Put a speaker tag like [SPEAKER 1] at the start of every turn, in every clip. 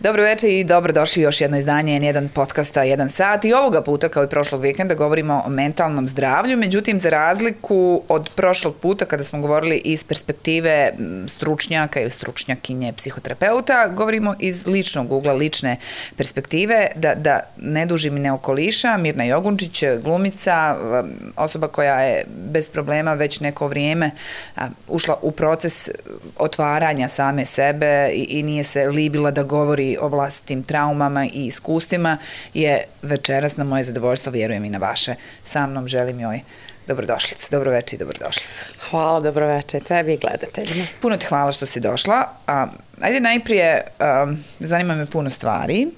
[SPEAKER 1] Dobro večer i dobrodošli u još jedno izdanje N1 podcasta 1 sat i ovoga puta kao i prošlog vikenda govorimo o mentalnom zdravlju, međutim za razliku od prošlog puta kada smo govorili iz perspektive stručnjaka ili stručnjakinje psihoterapeuta, govorimo iz ličnog ugla, lične perspektive, da ne dužim i ne okoliša. Mirna Jogunčić, glumica, osoba koja je bez problema već neko vrijeme ušla u proces otvaranja same sebe i nije se libila da govori o vlastitim traumama i iskustvima, je večeras na moje zadovoljstvo, vjerujem i na vaše. Sa mnom želim joj dobrodošlicu. Dobro večer i dobrodošlicu.
[SPEAKER 2] Hvala, dobro večer tebi i gledateljima.
[SPEAKER 1] Puno ti hvala što si došla. Ajde najprije, zanima me puno stvari,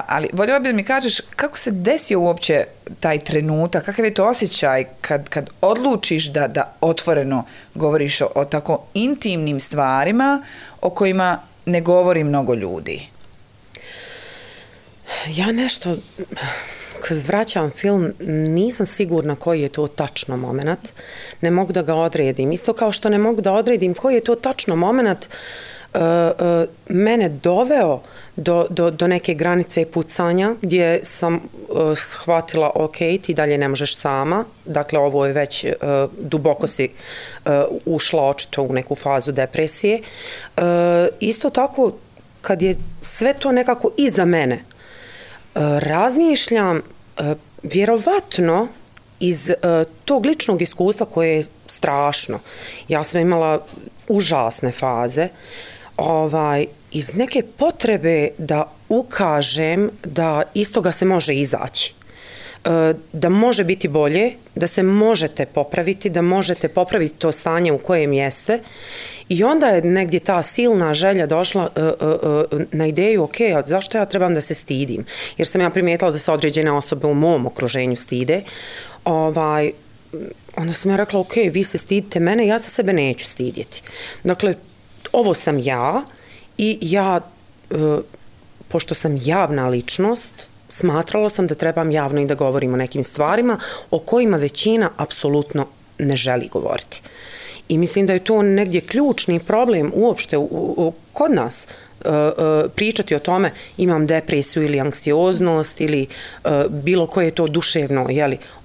[SPEAKER 1] ali voljela bi da mi kažeš kako se desio uopće taj trenutak, kakav je to osjećaj kad odlučiš da otvoreno govoriš o tako intimnim stvarima o kojima ne govori mnogo ljudi?
[SPEAKER 2] Ja nešto, kad vraćam film, nisam sigurna koji je to tačno moment. Ne mogu da ga odredim. Isto kao što ne mogu da odredim koji je to tačno moment mene doveo do neke granice pucanja gdje sam shvatila ok, ti dalje ne možeš sama. Dakle, ovo je već duboko si ušla očito u neku fazu depresije. Isto tako, kad je sve to nekako iza mene, razmišljam vjerovatno iz tog ličnog iskustva koje je strašno. Ja sam imala užasne faze, iz neke potrebe da ukažem da iz toga se može izaći. Da može biti bolje, da se možete popraviti, da možete popraviti to stanje u kojem jeste. I onda je negdje ta silna želja došla na ideju, ok, zašto ja trebam da se stidim? Jer sam ja primijetila da se određene osobe u mom okruženju stide. Onda sam ja rekla, ok, vi se stidite mene, ja se sebe neću stidjeti. Dakle, ovo sam ja i ja, pošto sam javna ličnost, smatrala sam da trebam javno i da govorim o nekim stvarima o kojima većina apsolutno ne želi govoriti. I mislim da je to negdje ključni problem uopšte kod nas, pričati o tome imam depresiju ili anksioznost ili bilo koje to duševno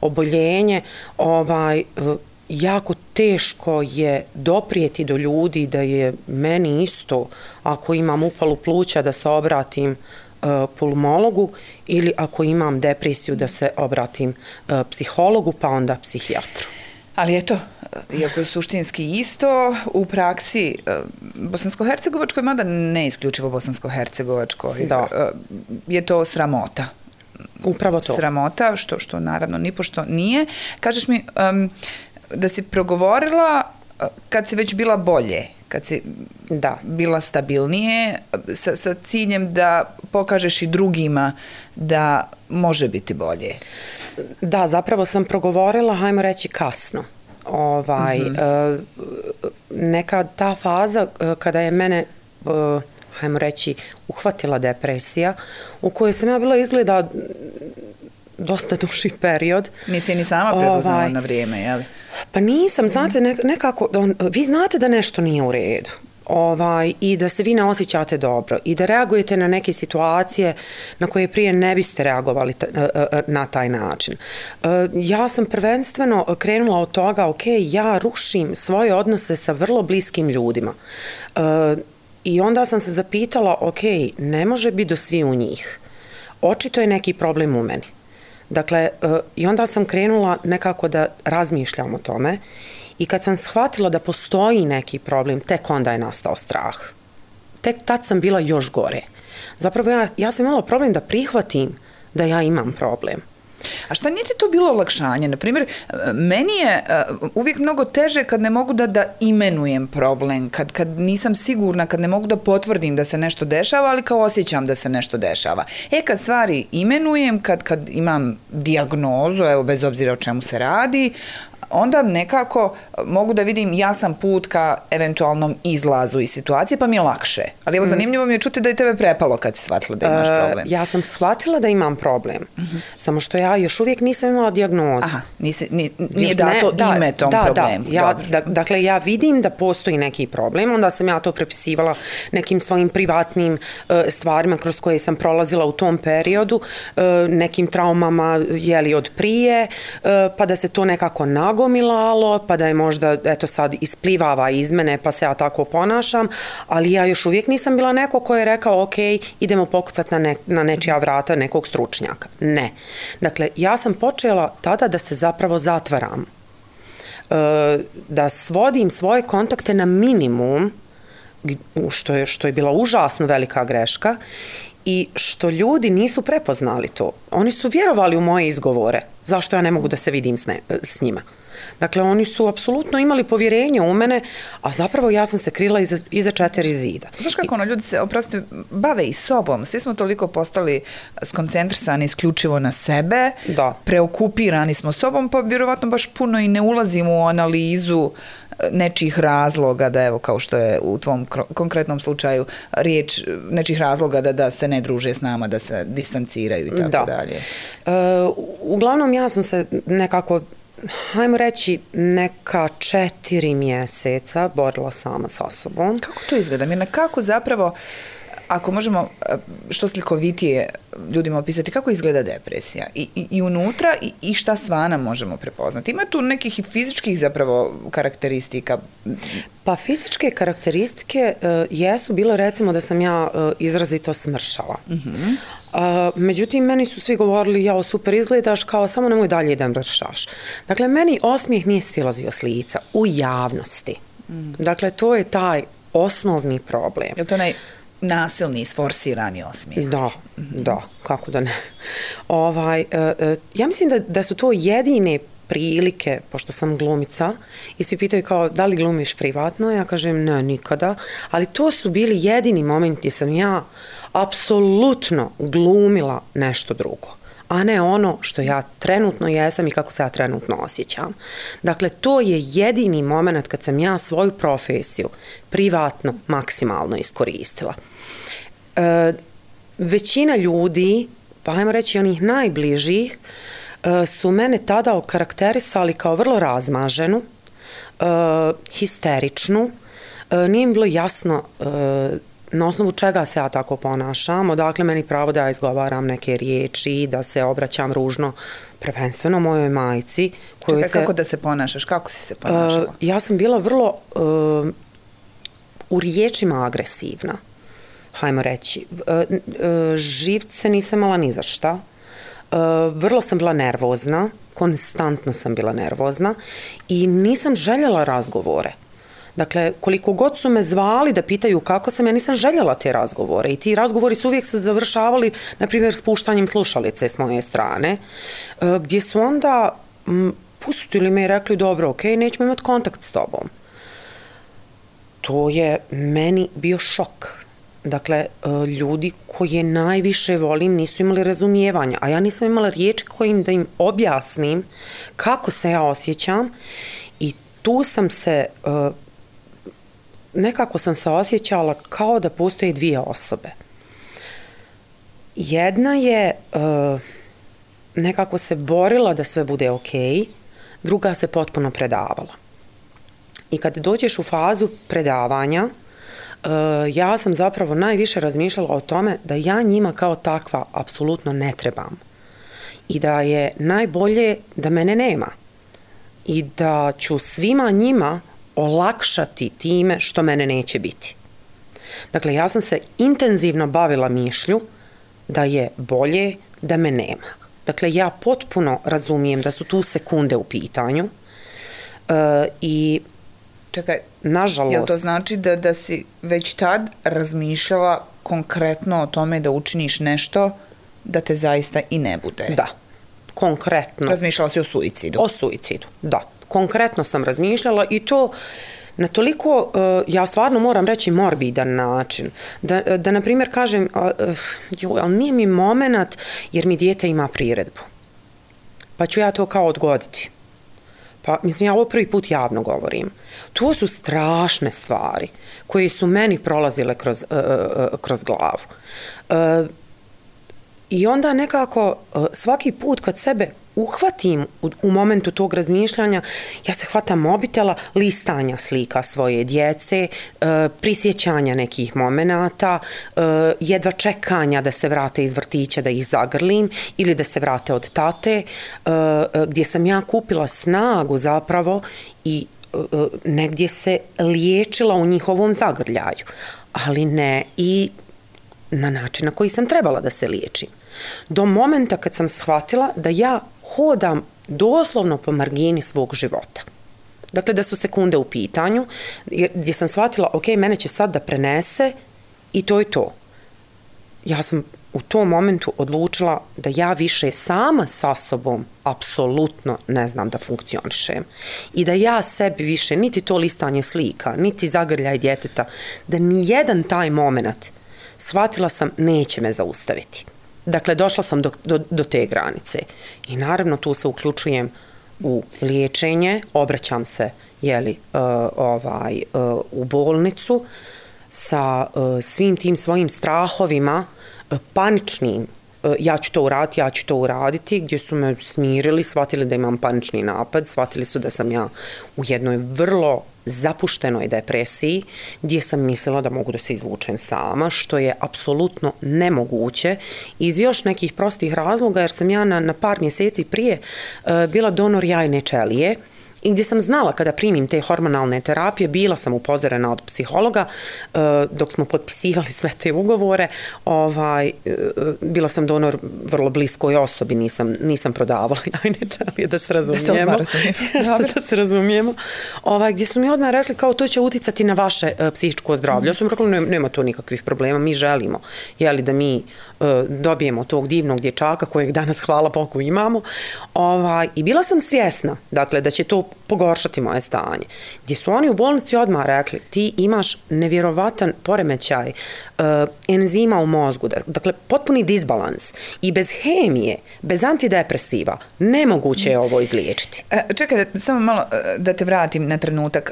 [SPEAKER 2] oboljenje, jako teško je doprijeti do ljudi da je meni isto ako imam upalu pluća da se obratim pulmologu ili ako imam depresiju da se obratim psihologu pa onda psihijatru.
[SPEAKER 1] Ali eto, iako je suštinski isto, u praksi bosansko-hercegovačkoj, mada ne isključivo bosansko-hercegovačkoj, je to sramota.
[SPEAKER 2] Upravo to.
[SPEAKER 1] Sramota, što naravno nipošto nije. Kažeš mi da si progovorila kad si već bila bolje, kad si bila stabilnije, sa ciljem da pokažeš i drugima da može biti bolje.
[SPEAKER 2] Da, zapravo sam progovorila, hajmo reći, kasno. Neka ta faza kada je mene, hajmo reći, uhvatila depresija, u kojoj sam ja bila izgleda dosta duži period.
[SPEAKER 1] Nisi ni sama prepoznala na vrijeme, je li?
[SPEAKER 2] Pa nisam, znate, nekako, vi znate da nešto nije u redu. I da se vi ne osjećate dobro i da reagujete na neke situacije na koje prije ne biste reagovali na taj način. Ja sam prvenstveno krenula od toga, ok, ja rušim svoje odnose sa vrlo bliskim ljudima. I onda sam se zapitala, ok, ne može biti do svi u njih. Očito je neki problem u meni. Dakle, i onda sam krenula nekako da razmišljam o tome i kad sam shvatila da postoji neki problem, tek onda je nastao strah. Tek tad sam bila još gore. Zapravo ja sam imala problem da prihvatim da ja imam problem.
[SPEAKER 1] A šta nije ti to bilo olakšanje? Naprimjer, meni je uvijek mnogo teže kad ne mogu da imenujem problem, kad nisam sigurna, kad ne mogu da potvrdim da se nešto dešava, ali kao osjećam da se nešto dešava. Kad stvari imenujem, kad imam dijagnozu, evo bez obzira o čemu se radi, onda nekako mogu da vidim jasan put ka eventualnom izlazu iz situacije, pa mi je lakše. Ali evo, zanimljivo mi je čuti da je tebe prepalo kad si shvatila da imaš problem.
[SPEAKER 2] Ja sam shvatila da imam problem, samo što ja još uvijek nisam imala dijagnozu.
[SPEAKER 1] Aha, nije dato ime tom problemu.
[SPEAKER 2] Dakle, ja vidim da postoji neki problem, onda sam ja to prepisivala nekim svojim privatnim stvarima kroz koje sam prolazila u tom periodu, nekim traumama od prije, pa da se to nekako nagomilalo, pa da je možda, eto sad, isplivava iz mene, pa se ja tako ponašam, ali ja još uvijek nisam bila neko ko je rekao, ok, idemo pokucati na nečija vrata nekog stručnjaka. Ne. Dakle, ja sam počela tada da se zapravo zatvaram, da svodim svoje kontakte na minimum, što je bila užasno velika greška, i što ljudi nisu prepoznali to. Oni su vjerovali u moje izgovore. Zašto ja ne mogu da se vidim s njima? Dakle, oni su apsolutno imali povjerenje u mene, a zapravo ja sam se krila iza 4 zida.
[SPEAKER 1] Znaš kako ljudi se, oprosti, bave i sobom. Svi smo toliko postali skoncentrisani isključivo na sebe, preokupirani smo sobom, pa vjerovatno baš puno i ne ulazimo u analizu nečih razloga, da evo, kao što je u tvom konkretnom slučaju riječ, nečih razloga da se ne druže s nama, da se distanciraju i tako dalje.
[SPEAKER 2] Uglavnom, ja sam se nekako, hajmo reći, neka 4 mjeseca borila sama sa sobom.
[SPEAKER 1] Kako to izgleda? Mirna, kako zapravo, ako možemo što slikovitije ljudima opisati, kako izgleda depresija? I unutra i šta svana možemo prepoznati? Ima tu nekih i fizičkih zapravo karakteristika?
[SPEAKER 2] Pa fizičke karakteristike jesu bile, recimo, da sam ja izrazito smršala. Međutim, meni su svi govorili, jao, super izgledaš, kao samo nemoj dalje da mršaš. Dakle, meni osmijeh nije silazio s lica u javnosti. Dakle, to je taj osnovni problem.
[SPEAKER 1] Je li to nasilni, sforsirani osmijeh?
[SPEAKER 2] Da, kako da ne. Ja mislim da su to jedine prilike, pošto sam glumica, i svi pitaju kao, da li glumiš privatno? Ja kažem, ne, nikada. Ali to su bili jedini momenti gdje sam ja apsolutno glumila nešto drugo, a ne ono što ja trenutno jesam i kako se ja trenutno osjećam. Dakle, to je jedini moment kad sam ja svoju profesiju privatno maksimalno iskoristila. Većina ljudi, pa ajmo reći onih najbližih, su mene tada okarakterisali kao vrlo razmaženu, histeričnu. Nije mi bilo jasno na osnovu čega se ja tako ponašam, odakle meni pravo da ja izgovaram neke riječi, da se obraćam ružno, prvenstveno mojoj majci.
[SPEAKER 1] Kako da se ponašaš? Kako si se ponašala?
[SPEAKER 2] Ja sam bila vrlo u riječima agresivna, hajmo reći. Živce nisam imala ni za šta. Vrlo sam bila nervozna, konstantno sam bila nervozna i nisam željela razgovore. Dakle, koliko god su me zvali da pitaju kako sam, ja nisam željela te razgovore i ti razgovori su uvijek se završavali, na primjer, spuštanjem slušalice s moje strane, gdje su onda pustili me i rekli, dobro, ok, nećemo imati kontakt s tobom. To je meni bio šok. Dakle, ljudi koje najviše volim nisu imali razumijevanja, a ja nisam imala riječi kojim da im objasnim kako se ja osjećam i tu sam se, nekako sam se osjećala kao da postoje 2 osobe. Jedna je nekako se borila da sve bude ok, druga se potpuno predavala. I kad dođeš u fazu predavanja, ja sam zapravo najviše razmišljala o tome da ja njima kao takva apsolutno ne trebam i da je najbolje da mene nema i da ću svima njima olakšati time što mene neće biti. Dakle, ja sam se intenzivno bavila mišlju da je bolje da me nema. Dakle, ja potpuno razumijem da su tu sekunde u pitanju i
[SPEAKER 1] čekaj,
[SPEAKER 2] nažalost.
[SPEAKER 1] Jel to znači da si već tad razmišljala konkretno o tome da učiniš nešto da te zaista i ne bude?
[SPEAKER 2] Da, konkretno.
[SPEAKER 1] Razmišljala si o suicidu?
[SPEAKER 2] O suicidu, da. Konkretno sam razmišljala i to na toliko, ja stvarno moram reći, morbidan način. Da na primjer kažem, ali nije mi moment jer mi dijete ima priredbu. Pa ću ja to kao odgoditi. Pa, mislim, ja ovo prvi put javno govorim. To su strašne stvari koje su meni prolazile kroz glavu. I onda nekako svaki put kad sebe uhvatim u momentu tog razmišljanja, ja se hvatam mobitela, listanja slika svoje djece, prisjećanja nekih momenata, jedva čekanja da se vrate iz vrtića, da ih zagrlim ili da se vrate od tate, gdje sam ja kupila snagu zapravo i negdje se liječila u njihovom zagrljaju, ali ne i na način na koji sam trebala da se liječim. Do momenta kad sam shvatila da ja hodam doslovno po margini svog života. Dakle, da su sekunde u pitanju, gdje sam shvatila, ok, mene će sad da prenese i to je to. Ja sam u tom momentu odlučila da ja više sama sa sobom apsolutno ne znam da funkcionišem. I da ja sebi više, niti to listanje slika, niti zagrljaj djeteta, da nijedan taj moment shvatila sam neće me zaustaviti. Dakle, došla sam do te granice. I naravno tu se uključujem u liječenje, obraćam se u bolnicu sa svim tim svojim strahovima, paničnim, ja ću to uraditi, gdje su me smirili, shvatili da imam panični napad, shvatili su da sam ja u jednoj vrlo zapuštenoj depresiji, gdje sam mislila da mogu da se izvučem sama, što je apsolutno nemoguće iz još nekih prostih razloga, jer sam ja na par mjeseci prije bila donor jajne ćelije, i gdje sam znala kada primim te hormonalne terapije, bila sam upozorena od psihologa, dok smo potpisivali sve te ugovore, bila sam donor vrlo bliskoj osobi, nisam prodavala jajne ćelije, da se razumijemo. Da se razumijemo. Gdje su mi odmah rekli kao to će uticati na vaše psihičko zdravlje. Ja sam rekla nema to nikakvih problema, mi želimo da mi dobijemo tog divnog dječaka kojeg danas hvala Bogu imamo. I bila sam svjesna, dakle, da će to pogoršati moje stanje. Gdje su oni u bolnici odmah rekli, ti imaš nevjerovatan poremećaj enzima u mozgu, dakle, potpuni disbalans i bez hemije, bez antidepresiva, nemoguće je ovo izliječiti.
[SPEAKER 1] Čekaj, samo malo da te vratim na trenutak.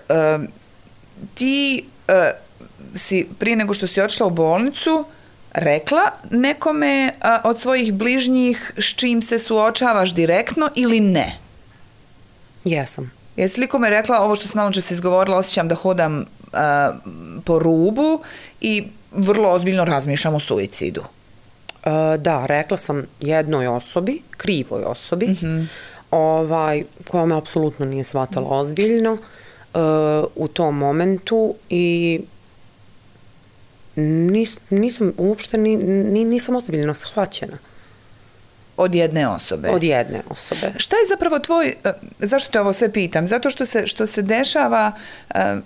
[SPEAKER 1] Ti si, prije nego što si otišla u bolnicu, rekla nekome od svojih bližnjih s čim se suočavaš direktno ili ne?
[SPEAKER 2] Jesam.
[SPEAKER 1] Jesi li kome rekla ovo što sam malo čas izgovorila, osjećam da hodam po rubu i vrlo ozbiljno razmišljam o suicidu?
[SPEAKER 2] Da, rekla sam jednoj osobi, krivoj osobi, koja me apsolutno nije shvatala ozbiljno u tom momentu i nisam uopšte, nisam ozbiljno shvaćena.
[SPEAKER 1] Od jedne osobe?
[SPEAKER 2] Od jedne osobe.
[SPEAKER 1] Šta je zapravo tvoj, zašto te ovo sve pitam? Zato što se dešava,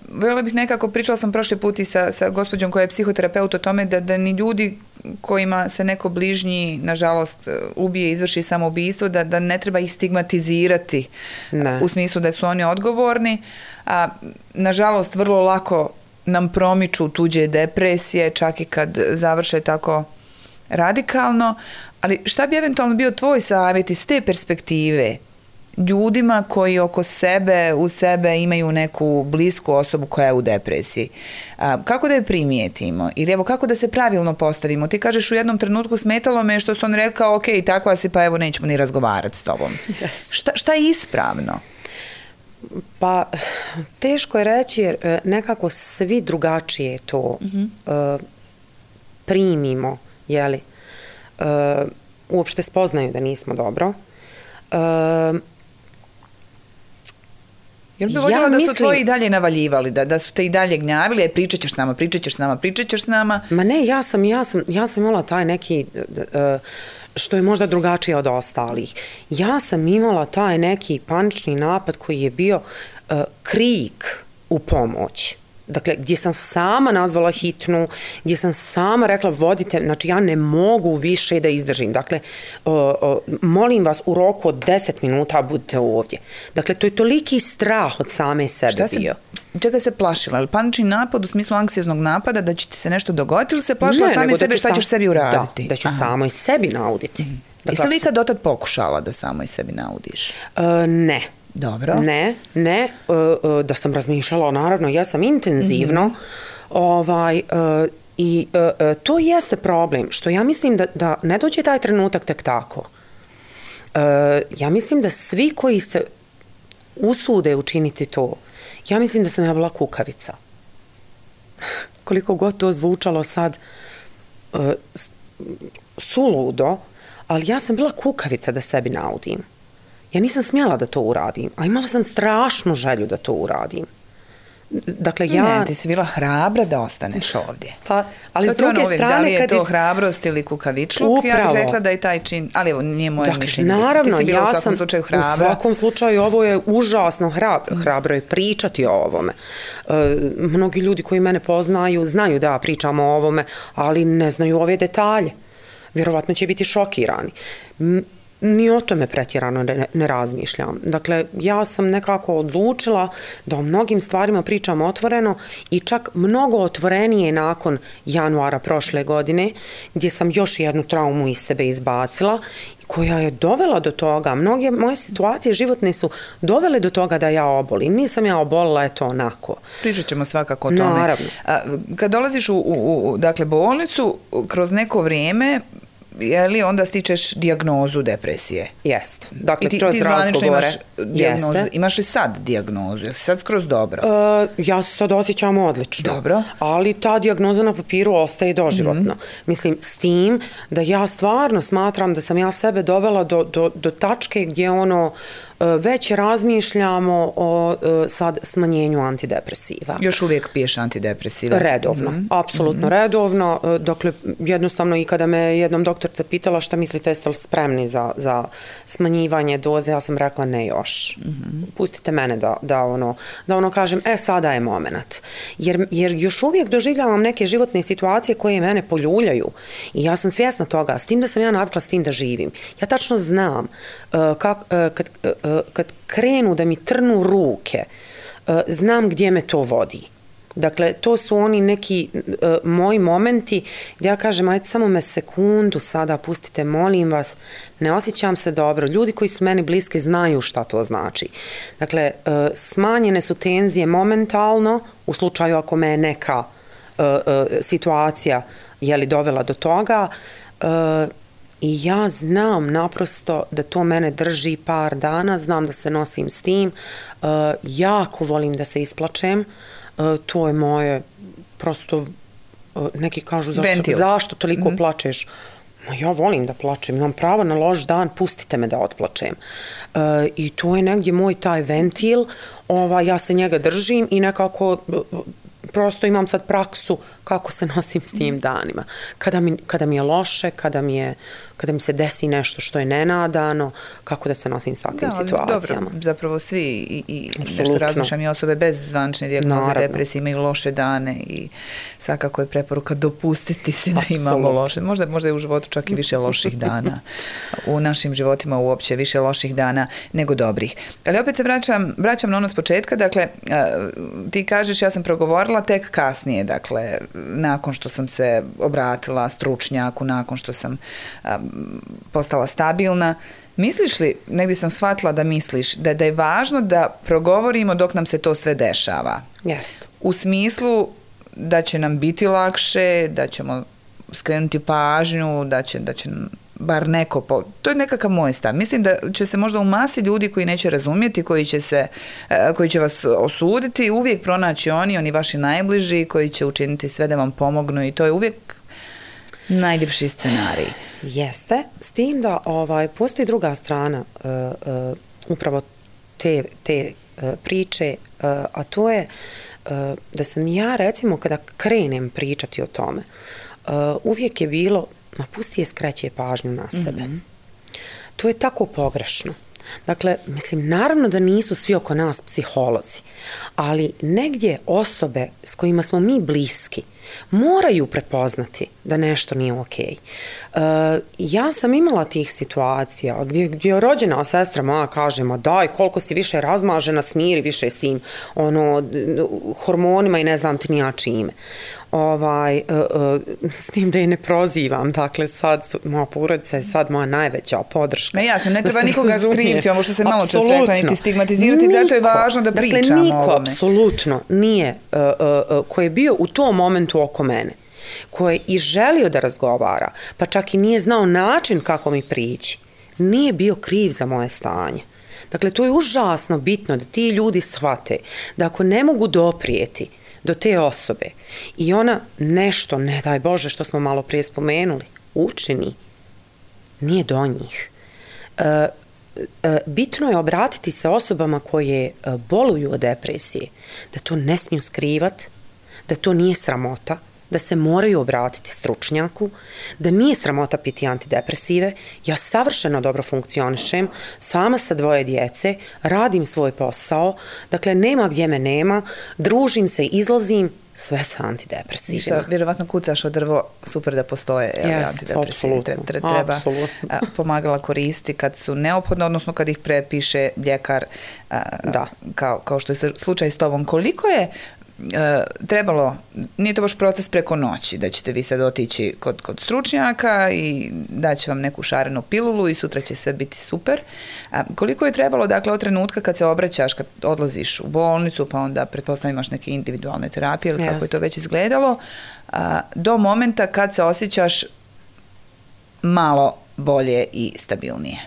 [SPEAKER 1] voljela bih nekako, pričala sam prošli put i sa gospođom koja je psihoterapeut o tome da ni ljudi kojima se neko bližnji, nažalost, ubije, izvrši samoubistvo, da ne treba ih stigmatizirati u smislu da su oni odgovorni. Nažalost, vrlo lako nam promiču tuđe depresije, čak i kad završe tako radikalno. Ali šta bi eventualno bio tvoj savjet iz te perspektive ljudima koji oko sebe, u sebe imaju neku blisku osobu koja je u depresiji? Kako da je primijetimo? Ili evo, kako da se pravilno postavimo? Ti kažeš u jednom trenutku smetalo me što su on rekao, ok, takva si, pa evo nećemo ni razgovarati s tobom. Yes. Šta je ispravno?
[SPEAKER 2] Pa, teško je reći jer nekako svi drugačije to primimo, jeli? Uopšte spoznaju da nismo dobro.
[SPEAKER 1] Jel bi voljela da su tvoji i dalje navaljivali, da su te i dalje gnjavili, pričat ćeš s nama?
[SPEAKER 2] Ma ne, ja sam imala taj neki, što je možda drugačije od ostalih. Ja sam imala taj neki panični napad koji je bio krik u pomoć. Dakle, gdje sam sama nazvala hitnu, gdje sam sama rekla vodite, znači ja ne mogu više da izdržim. Dakle, molim vas u roku od 10 minuta budite ovdje. Dakle, to je toliki strah od same sebe bio.
[SPEAKER 1] Čega se plašila? Panični napad u smislu anksioznog napada da će ti se nešto dogoditi ili se plašila same sebe šta ćeš sebi uraditi?
[SPEAKER 2] Da ću samoj sebi nauditi.
[SPEAKER 1] Jesi li ikad dotad pokušala da samoj sebi naudiš?
[SPEAKER 2] Ne.
[SPEAKER 1] Dobro.
[SPEAKER 2] Ne, da sam razmišljala, naravno, ja sam intenzivno, i to jeste problem, što ja mislim da ne dođe taj trenutak tek tako. Ja mislim da svi koji se usude učiniti to, ja mislim da sam ja bila kukavica. Koliko god to zvučalo sad suludo, ali ja sam bila kukavica da sebi naudim. Ja nisam smjela da to uradim, a imala sam strašnu želju da to uradim. Dakle,
[SPEAKER 1] Ne, ti si bila hrabra da ostaneš ovdje.
[SPEAKER 2] Pa, ali s druge strane...
[SPEAKER 1] Da li je to hrabrost ili kukavičluk?
[SPEAKER 2] Upravo.
[SPEAKER 1] Ja bih rekla da je taj čin... Ali evo, nije moje mišljenje.
[SPEAKER 2] Naravno,
[SPEAKER 1] ti si bila u svakom slučaju hrabra.
[SPEAKER 2] U svakom slučaju ovo je užasno hrabro je pričati o ovome. Mnogi ljudi koji mene poznaju znaju da pričamo o ovome, ali ne znaju ove detalje. Vjerovatno će biti šokirani. Ni o tome pretjerano ne razmišljam. Dakle, ja sam nekako odlučila da o mnogim stvarima pričam otvoreno i čak mnogo otvorenije nakon januara prošle godine, gdje sam još jednu traumu iz sebe izbacila, koja je dovela do toga, mnoge moje situacije životne su dovele do toga da ja obolim. Nisam ja obolila, eto onako.
[SPEAKER 1] Pričat ćemo svakako o tome.
[SPEAKER 2] Naravno.
[SPEAKER 1] Kad dolaziš u dakle, bolnicu, kroz neko vrijeme, je li onda stičeš dijagnozu depresije?
[SPEAKER 2] Jeste. Dakle,
[SPEAKER 1] I ti zvanično imaš dijagnozu. Imaš li sad dijagnozu? Jesi sad skroz dobro?
[SPEAKER 2] Ja se sad osjećam odlično.
[SPEAKER 1] Dobro.
[SPEAKER 2] Ali ta dijagnoza na papiru ostaje doživotno. Mislim, s tim da ja stvarno smatram da sam ja sebe dovela do tačke gdje već razmišljamo o sad smanjenju antidepresiva.
[SPEAKER 1] Još uvijek piješ antidepresive?
[SPEAKER 2] Redovno, apsolutno redovno. Dakle, jednostavno i kada me jednom doktorca pitala šta mislite, jeste li spremni za smanjivanje doze, ja sam rekla ne još. Pustite mene da kažem, sada je moment. Jer još uvijek doživljavam neke životne situacije koje mene poljuljaju i ja sam svjesna toga, s tim da sam ja navikla s tim da živim. Ja tačno znam kad krenu da mi trnu ruke, znam gdje me to vodi. Dakle, to su oni neki moji momenti gdje ja kažem, ajde samo me sekundu sada, pustite, molim vas, ne osjećam se dobro. Ljudi koji su meni bliski znaju šta to znači. Dakle, smanjene su tenzije momentalno, u slučaju ako me je neka situacija dovela do toga, i ja znam naprosto da to mene drži par dana, znam da se nosim s tim, jako volim da se isplačem, to je moje, prosto, neki kažu, zašto toliko plačeš? Ja volim da plačem, imam pravo na loš dan, pustite me da otplačem. I to je negdje moj taj ventil, ja se njega držim i nekako prosto imam sad praksu kako se nosim s tim danima. Kada mi je loše, kada mi se desi nešto što je nenadano, kako da se nosim s takvim situacijama.
[SPEAKER 1] Dobro, zapravo svi i nešto razmišljam i osobe bez zvanične dijagnoze depresije imaju loše dane i svakako je preporuka dopustiti si da imamo loše. Možda je u životu čak i više loših dana. U našim životima uopće više loših dana nego dobrih. Ali opet se vraćam na ono s početka. Dakle, ti kažeš ja sam progovorila tek kasnije, dakle, nakon što sam se obratila stručnjaku, nakon što sam postala stabilna. Misliš li, negdje sam shvatila da misliš, da je važno da progovorimo dok nam se to sve dešava?
[SPEAKER 2] Jeste.
[SPEAKER 1] U smislu da će nam biti lakše, da ćemo skrenuti pažnju, da će bar neko... To je nekakav moj stav. Mislim da će se možda u masi ljudi koji neće razumjeti, koji će vas osuditi, uvijek pronaći oni vaši najbliži, koji će učiniti sve da vam pomognu i to je uvijek najljepši scenarij.
[SPEAKER 2] Jeste, s tim da postoji druga strana upravo te priče, a to je da sam ja, recimo, kada krenem pričati o tome, uvijek je bilo, pusti je, skreće pažnju na sebe. To je tako pogrešno. Dakle, mislim, naravno da nisu svi oko nas psiholozi, ali negdje osobe s kojima smo mi bliski moraju prepoznati da nešto nije okej. Ja sam imala tih situacija gdje je rođena sestra moja kaže, ma daj, koliko si više razmažena, smiri više s tim hormonima i ne znam ti ni ja čime. S tim da je ne prozivam, dakle sad moja porodica je sad moja najveća podrška.
[SPEAKER 1] Jasno, ne treba nikoga skriviti, ovo što se malo čas rekla, niti stigmatizirati, zato je važno da pričamo o ovome.
[SPEAKER 2] Dakle, niko apsolutno nije koji je bio u tom momentu oko mene, koji je i želio da razgovara, pa čak i nije znao način kako mi prići, nije bio kriv za moje stanje. Dakle, to je užasno bitno da ti ljudi shvate da ako ne mogu doprijeti do te osobe i ona nešto, ne daj Bože, što smo malo prije spomenuli, učini, nije do njih. Bitno je obratiti se osobama koje boluju od depresije, da to ne smiju skrivati, da to nije sramota, da se moraju obratiti stručnjaku, da nije sramota piti antidepresive. Ja savršeno dobro funkcionišem, sama sa 2 djece, radim svoj posao, dakle nema gdje me nema, družim se, izlazim, sve sa antidepresivima.
[SPEAKER 1] Ništa, vjerovatno kucaš o drvo, super da postoje antidepresivi. Treba pomagala koristi kad su neophodno, odnosno kad ih prepiše ljekar, kao što je slučaj s tobom. Koliko je trebalo, nije to baš proces preko noći, da ćete vi sad otići kod stručnjaka i daće vam neku šarenu pilulu i sutra će sve biti super. Koliko je trebalo, dakle, od trenutka kad se obraćaš, kad odlaziš u bolnicu, pa onda pretpostavljam imaš neke individualne terapije ili kako je to već izgledalo, do momenta kad se osjećaš malo bolje i stabilnije?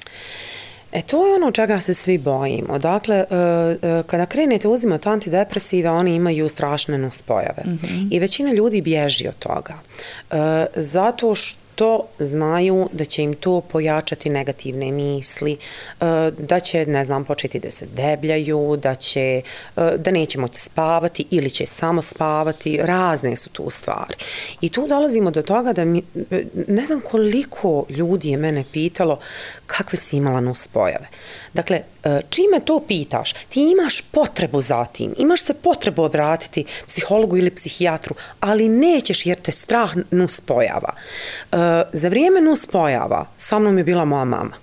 [SPEAKER 2] To je ono čega se svi bojimo. Dakle, kada krenete uzimati antidepresive, oni imaju strašne nuspojave. I većina ljudi bježi od toga. Zato što znaju da će im to pojačati negativne misli, da će, ne znam, početi da se debljaju, da neće moći spavati ili će samo spavati, razne su tu stvari. I tu dolazimo do toga da ne znam koliko ljudi je mene pitalo kakve si imala nuspojave. Dakle, čime to pitaš? Ti imaš potrebu za tim, imaš se potrebu obratiti psihologu ili psihijatru, ali nećeš jer te strah nuspojava. Za vrijeme nuspojava sa mnom je bila moja mama.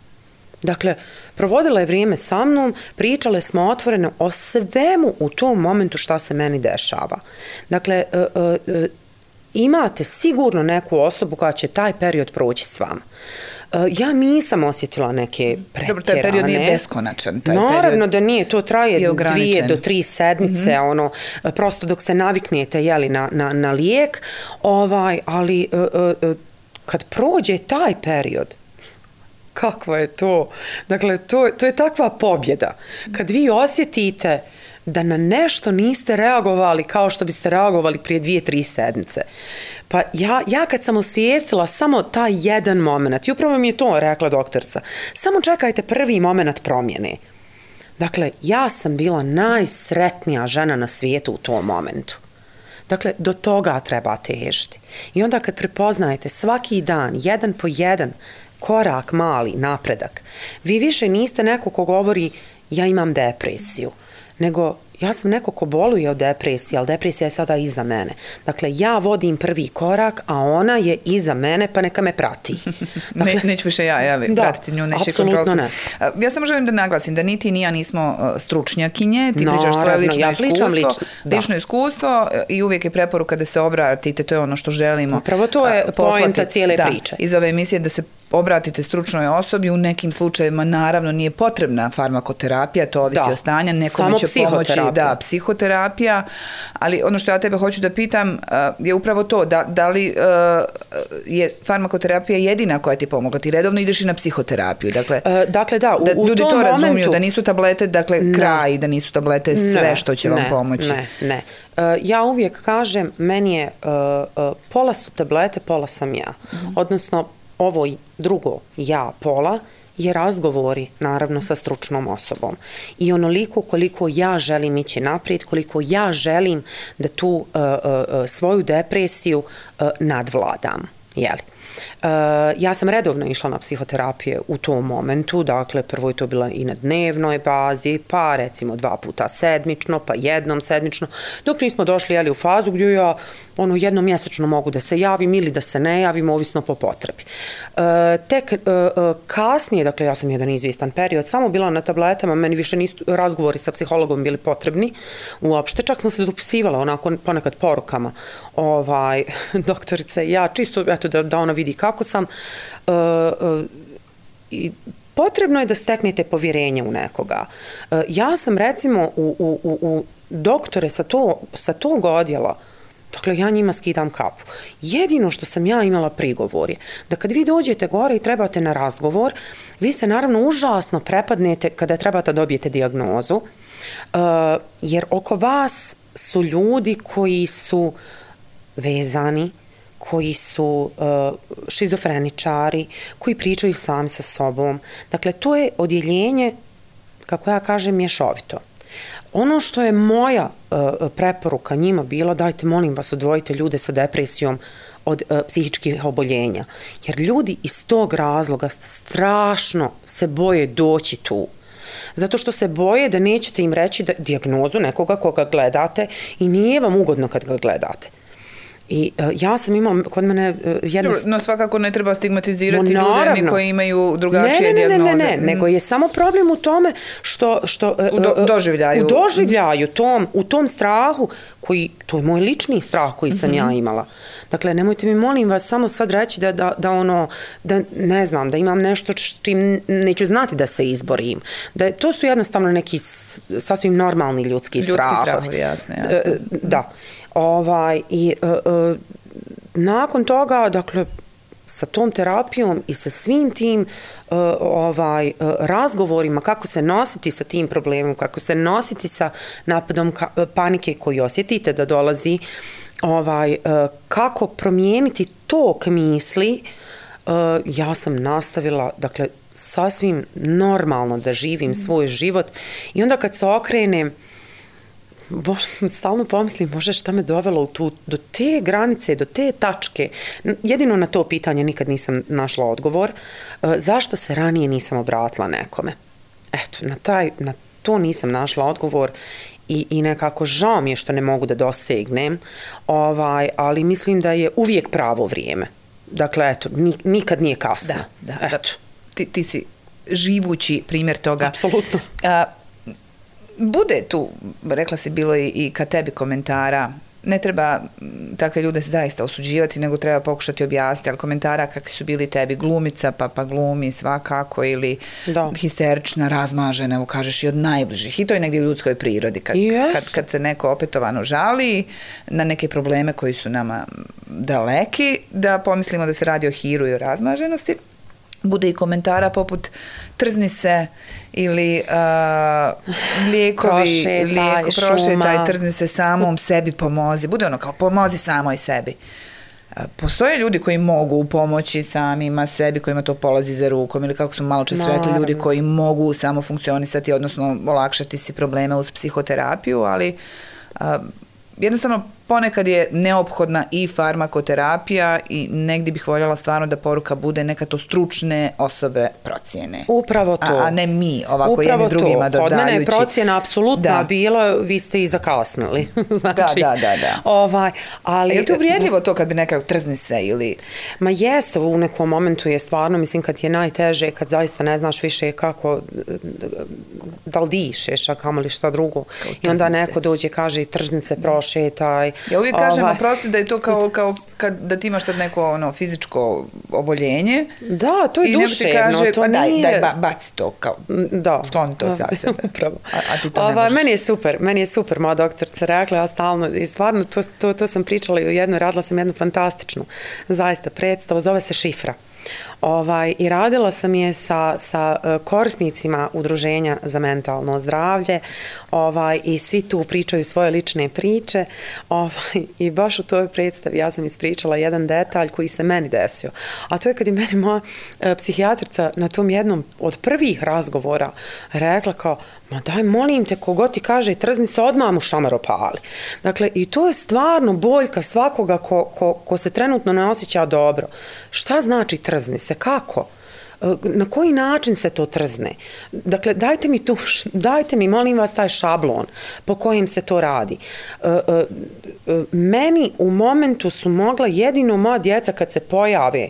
[SPEAKER 2] Dakle, provodila je vrijeme sa mnom, pričale smo otvoreno o svemu u tom momentu šta se meni dešava. Dakle, imate sigurno neku osobu koja će taj period proći s vama. Ja nisam osjetila neke pretjerane.
[SPEAKER 1] Dobro, taj period nije beskonačan.
[SPEAKER 2] Naravno da nije, to traje 2 do 3 sedmice, prosto dok se naviknete na lijek, ali kad prođe taj period, kakvo je to? Dakle, to je takva pobjeda. Kad vi osjetite da na nešto niste reagovali kao što biste reagovali prije 2-3 sedmice. Pa ja kad sam osvijestila samo taj jedan moment, i upravo mi je to rekla doktorica, samo čekajte prvi moment promjene. Dakle, ja sam bila najsretnija žena na svijetu u tom momentu. Dakle, do toga treba težiti. I onda kad prepoznajete svaki dan, jedan po jedan, korak mali, napredak, vi više niste neko ko govori ja imam depresiju, nego ja sam neko ko boluje od depresije, ali depresija je sada iza mene. Dakle, ja vodim prvi korak, a ona je iza mene, pa neka me prati.
[SPEAKER 1] Dakle, neću više pratiti nju, neće kontrolisu. Ne. Ja samo želim da naglasim da niti ni ja nismo stručnjakinje, ti pričaš svoje lično iskustvo i uvijek je preporuka da se obratite, to je ono što želimo.
[SPEAKER 2] Prvo to je poenta cijele priče.
[SPEAKER 1] Iz ove emisije da se obratite stručnoj osobi, u nekim slučajevima naravno nije potrebna farmakoterapija, to ovisi o stanju, nekome će pomoći psihoterapija, ali ono što ja tebe hoću da pitam je upravo to, da li je farmakoterapija jedina koja ti pomogla, ti redovno ideš i na psihoterapiju, dakle da ljudi to razumiju, da nisu tablete kraj, da nisu tablete sve što će vam pomoći.
[SPEAKER 2] Ne. Ja uvijek kažem, meni je pola su tablete, pola sam ja. Odnosno, ovo drugo ja pola je razgovori naravno sa stručnom osobom. I onoliko koliko ja želim ići naprijed, koliko ja želim da tu svoju depresiju nadvladam. Jeli? Ja sam redovno išla na psihoterapije u tom momentu, dakle prvo je to bila i na dnevnoj bazi, pa recimo 2 puta sedmično, pa jednom sedmično, dok nismo došli u fazu gdje ja jednom mjesečno mogu da se javim ili da se ne javim, ovisno po potrebi. Tek kasnije, dakle ja sam jedan izvjestan period, samo bila na tabletama, meni više nisu razgovori sa psihologom bili potrebni uopšte, čak smo se dopisivali onako ponekad porukama, doktorice, ja čisto eto da ona vidi kako sam, i potrebno je da steknete povjerenje u nekoga. Ja sam recimo u doktore sa tog odjela, dakle, ja njima skidam kapu. Jedino što sam ja imala prigovor je da kad vi dođete gore i trebate na razgovor, vi se naravno užasno prepadnete kada trebate da dobijete dijagnozu, jer oko vas su ljudi koji su vezani, koji su šizofreničari, koji pričaju sami sa sobom. Dakle, to je odjeljenje, kako ja kažem, mješovito. Ono što je moja preporuka njima bila, dajte, molim vas, odvojite ljude sa depresijom od psihičkih oboljenja. Jer ljudi iz tog razloga strašno se boje doći tu. Zato što se boje da nećete im reći dijagnozu nekoga koga gledate i nije vam ugodno kad ga gledate. I ja sam imala kod mene jedne...
[SPEAKER 1] No svakako ne treba stigmatizirati ljude ni koji imaju drugačije dijagnoze.
[SPEAKER 2] Ne, nego je samo problem u tome što
[SPEAKER 1] u doživljaju.
[SPEAKER 2] U tom strahu, to je moj lični strah koji sam ja imala. Dakle, nemojte mi, molim vas, samo sad reći da ne znam, da imam nešto čim neću znati da se izborim. To su jednostavno neki sasvim normalni ljudski strahovi.
[SPEAKER 1] Ljudski strahovi, jasno.
[SPEAKER 2] Da. I nakon toga, dakle, sa tom terapijom i sa svim tim razgovorima kako se nositi sa tim problemom, kako se nositi sa napadom panike koji osjetite da dolazi, kako promijeniti tok misli, ja sam nastavila, dakle, sasvim normalno da živim svoj život i onda kad se okrenem, stalno pomislim, Bože, šta me dovelo do te granice, do te tačke. Jedino na to pitanje nikad nisam našla odgovor. Zašto se ranije nisam obratila nekome? Eto, na to nisam našla odgovor i nekako žao mi je što ne mogu da dosegnem, ali mislim da je uvijek pravo vrijeme. Dakle, eto, nikad nije kasno.
[SPEAKER 1] Da. Ti si živući primjer toga.
[SPEAKER 2] Apsolutno.
[SPEAKER 1] Bude tu, rekla si, bilo i ka tebi komentara, ne treba takve ljude zaista osuđivati, nego treba pokušati objasniti, ali komentara kakvi su bili tebi, glumica, pa glumi svakako, ili histerična, razmažena, evo kažeš, i od najbližih. I to je negdje u ljudskoj prirodi. Kad se neko opetovano žali na neke probleme koji su nama daleki, da pomislimo da se radi o hiru i o razmaženosti. Bude i komentara poput trzni se ili lijekovi, prošetaj, trzni se samom sebi, pomozi. Bude ono kao pomozi samoj sebi. Postoje ljudi koji mogu pomoći samima sebi, kojima to polazi za rukom, ili kako smo malo čas rekli, ljudi koji mogu samo funkcionisati, odnosno olakšati si probleme uz psihoterapiju, ali jednostavno ponekad je neophodna i farmakoterapija i negdje bih voljela stvarno da poruka bude neka to stručne osobe procjene.
[SPEAKER 2] Upravo to.
[SPEAKER 1] A ne mi, ovako jedni drugima dodajući.
[SPEAKER 2] Kod mene je procjena apsolutna bila, vi ste i zakasnili.
[SPEAKER 1] Znači, da.
[SPEAKER 2] Ali,
[SPEAKER 1] je li to uvrijedljivo to kad bi nekako trzni se ili...
[SPEAKER 2] Ma jeste, u nekom momentu je stvarno, mislim, kad je najteže, kad zaista ne znaš više kako, da li dišeš, a kamo li šta drugo. I onda neko dođe, kaže, trzni se, prošetaj.
[SPEAKER 1] Ja uvijek kažem, oprosti, da je to kao da ti imaš sad neko fizičko oboljenje.
[SPEAKER 2] Da, to je duševno.
[SPEAKER 1] Kaže,
[SPEAKER 2] to nije...
[SPEAKER 1] Daj, baci to, skloni to sa sebe.
[SPEAKER 2] Upravo.
[SPEAKER 1] A ti to ne možeš.
[SPEAKER 2] Meni je super, moja doktorica rekla, ja stalno, i stvarno, to sam pričala i radila sam jednu fantastičnu, zaista, predstavu, zove se Šifra. I radila sam je sa korisnicima Udruženja za mentalno zdravlje i svi tu pričaju svoje lične priče i baš u toj predstavi ja sam ispričala jedan detalj koji se meni desio. A to je kad je meni moja psihijatrica na tom jednom od prvih razgovora rekla kao, ma daj molim te, kogod ti kaže trzni se, odmah mu šamar opali. Dakle, i to je stvarno boljka svakoga ko se trenutno ne osjeća dobro. Šta znači trzni se? Kako? Na koji način se to trzne? Dakle, dajte mi, molim vas, taj šablon po kojim se to radi. Meni u momentu su mogla jedino moja djeca kad se pojave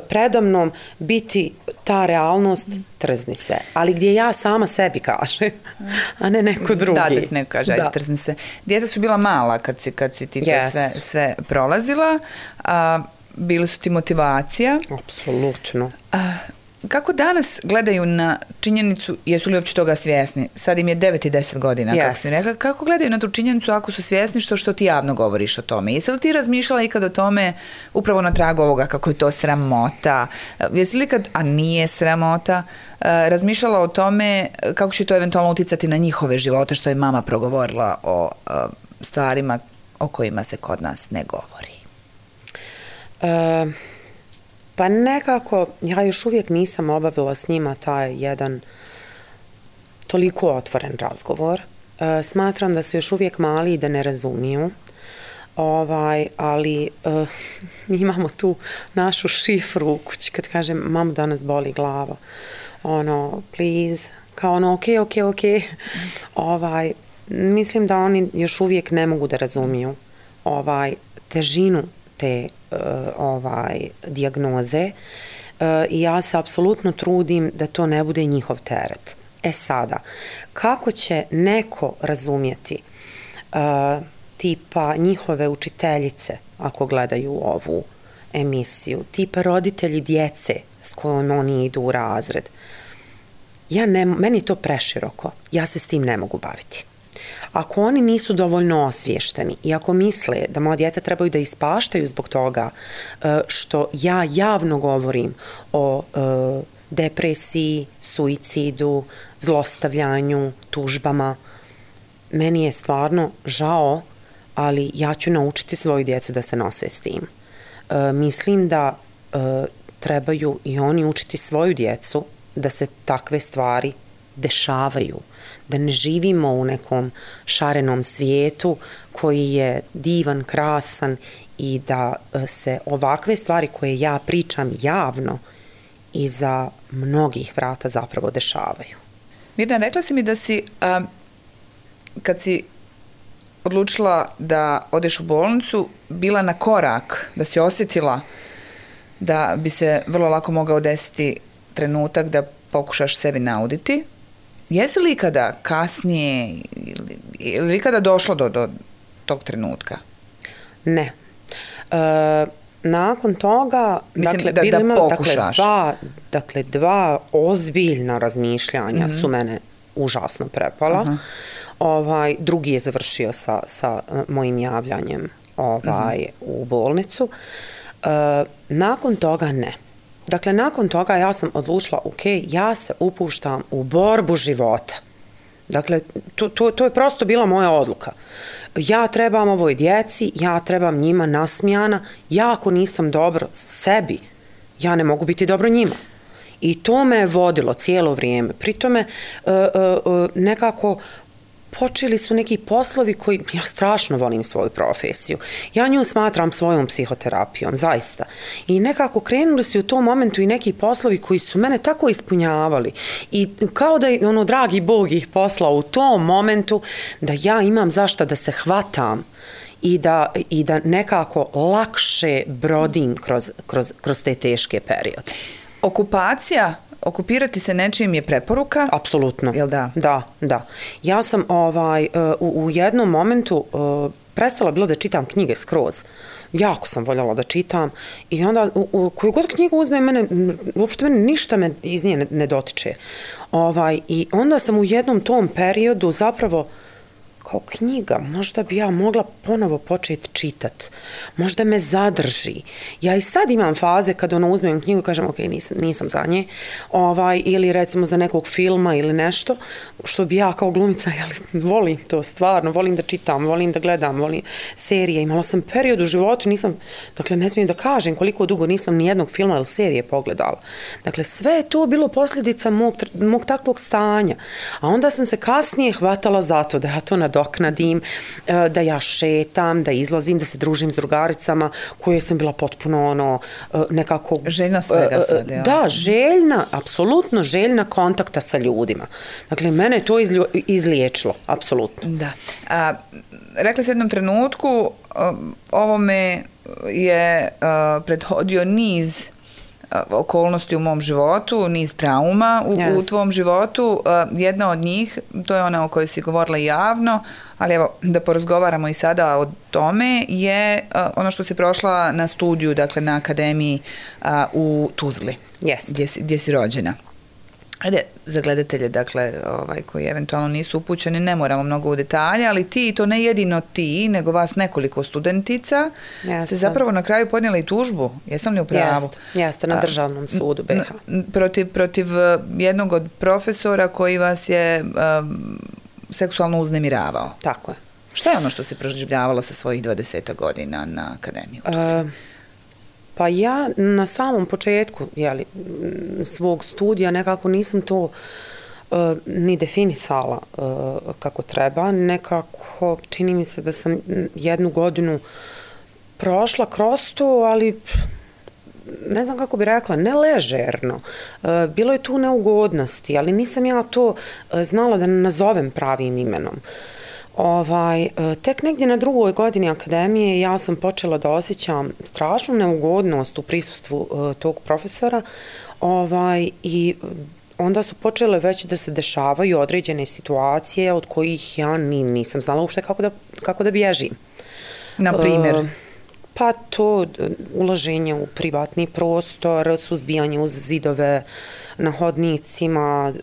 [SPEAKER 2] predamnom biti ta realnost trzni se. Ali gdje ja sama sebi kažem, a ne neko drugi.
[SPEAKER 1] Da ti neko kaže, ajde trzni se. Djeca su bila mala kad si ti to sve prolazila, bili su ti motivacija.
[SPEAKER 2] Apsolutno.
[SPEAKER 1] Kako danas gledaju na činjenicu, jesu li uopće toga svjesni? Sad im je 9 i 10 godina, kako si rekla. Kako gledaju na tu činjenicu ako su svjesni što ti javno govoriš o tome? Jesi li ti razmišljala ikad o tome upravo na tragu ovoga kako je to sramota? Jesi li ikad, a nije sramota, razmišljala o tome kako će to eventualno uticati na njihove živote, što je mama progovorila o stvarima o kojima se kod nas ne govori?
[SPEAKER 2] Pa nekako, ja još uvijek nisam obavila s njima taj jedan toliko otvoren razgovor. Smatram da su još uvijek mali i da ne razumiju. Ali imamo tu našu šifru u kući kad kažem, mamo danas boli glava. Please, kao ok. Mislim da oni još uvijek ne mogu da razumiju težinu te dijagnoze i ja se apsolutno trudim da to ne bude njihov teret. Sada, kako će neko razumjeti tipa njihove učiteljice ako gledaju ovu emisiju, tipa roditelji djece s kojom oni idu u razred, meni je to preširoko, ja se s tim ne mogu baviti. Ako oni nisu dovoljno osviješteni i ako misle da moja djeca trebaju da ispaštaju zbog toga što ja javno govorim o depresiji, suicidu, zlostavljanju, tužbama, meni je stvarno žao, ali ja ću naučiti svoju djecu da se nose s tim. Mislim da trebaju i oni učiti svoju djecu da se takve stvari dešavaju, da ne živimo u nekom šarenom svijetu koji je divan, krasan i da se ovakve stvari koje ja pričam javno iza mnogih vrata zapravo dešavaju.
[SPEAKER 1] Mirna, rekla si mi da si, kad si odlučila da odeš u bolnicu, bila na korak, da si osjetila da bi se vrlo lako mogao desiti trenutak da pokušaš sebi nauditi. Jesi li ikada kasnije ili ikada došlo do tog trenutka?
[SPEAKER 2] Ne. Nakon toga,
[SPEAKER 1] mislim, da pokušaš.
[SPEAKER 2] Dva ozbiljna razmišljanja su mene užasno prepala. Drugi je završio sa mojim javljanjem u bolnicu. Nakon toga ne. Dakle, nakon toga ja sam odlučila, ja se upuštam u borbu života. Dakle, to je prosto bila moja odluka. Ja trebam ovoj djeci, ja trebam njima nasmijana, ja ako nisam dobro sebi, ja ne mogu biti dobro njima. I to me je vodilo cijelo vrijeme. Pri tome nekako počeli su neki poslovi koji, ja strašno volim svoju profesiju. Ja nju smatram svojom psihoterapijom, zaista. I nekako krenuli su u tom momentu i neki poslovi koji su mene tako ispunjavali. I kao da je, dragi Bog ih poslao u tom momentu da ja imam zašto da se hvatam i da nekako lakše brodim kroz te teške periode.
[SPEAKER 1] Okupirati se nečim je preporuka?
[SPEAKER 2] Apsolutno.
[SPEAKER 1] Jel da?
[SPEAKER 2] Da. Ja sam u jednom momentu prestala bilo da čitam knjige skroz. Jako sam voljela da čitam i onda koju god knjigu uzmem, uopšte mene ništa me iz nje ne dotiče. I onda sam u jednom tom periodu zapravo kao knjiga, možda bi ja mogla ponovo početi čitat, možda me zadrži. Ja i sad imam faze kad uzmem knjigu i kažem ok, nisam za nje, ili recimo za nekog filma ili nešto, što bi ja kao glumica, volim to stvarno, volim da čitam, volim da gledam, volim serije. Imala sam period u životu, dakle ne smijem da kažem koliko dugo nisam ni jednog filma ili serije pogledala. Dakle, sve je to bilo posljedica mog takvog stanja. A onda sam se kasnije hvatala za to da ja to nadoknadim, da ja šetam, da izlazim, da se družim s drugaricama koje sam bila potpuno nekako...
[SPEAKER 1] Željna svega sad, ja.
[SPEAKER 2] Da, željna, apsolutno željna kontakta sa ljudima. Dakle, mene je to izliječilo, apsolutno.
[SPEAKER 1] Da. Rekla se jednom trenutku, ovome je prethodio niz okolnosti u mom životu, niz trauma u tvom životu. Jedna od njih, to je ona o kojoj si govorila javno, ali evo da porazgovaramo i sada o tome, je ono što si prošla na studiju, dakle na akademiji u Tuzli, gdje si rođena. Ajde, za gledatelje, dakle, koji eventualno nisu upućeni, ne moramo mnogo u detalje, ali ti, to ne jedino ti, nego vas nekoliko studentica, ste zapravo na kraju podnijeli tužbu. Jesam li u pravu?
[SPEAKER 2] Jeste, na državnom sudu BiH.
[SPEAKER 1] Protiv jednog od profesora koji vas je seksualno uznemiravao.
[SPEAKER 2] Tako je.
[SPEAKER 1] Šta je ono što se proživljavala sa svojih 20 godina na akademiji u Tuzli?
[SPEAKER 2] Pa ja na samom početku svog studija nekako nisam to ni definisala kako treba. Nekako čini mi se da sam jednu godinu prošla kroz to, ali ne znam kako bi rekla, ne ležerno. Bilo je tu neugodnosti, ali nisam ja to znala da nazovem pravim imenom. Tek negdje na drugoj godini akademije ja sam počela da osjećam strašnu neugodnost u prisustvu tog profesora i onda su počele već da se dešavaju određene situacije od kojih ja nisam znala uopšte kako da bježim.
[SPEAKER 1] Na primjer?
[SPEAKER 2] Pa to ulaženje u privatni prostor, suzbijanje uz zidove na hodnicima,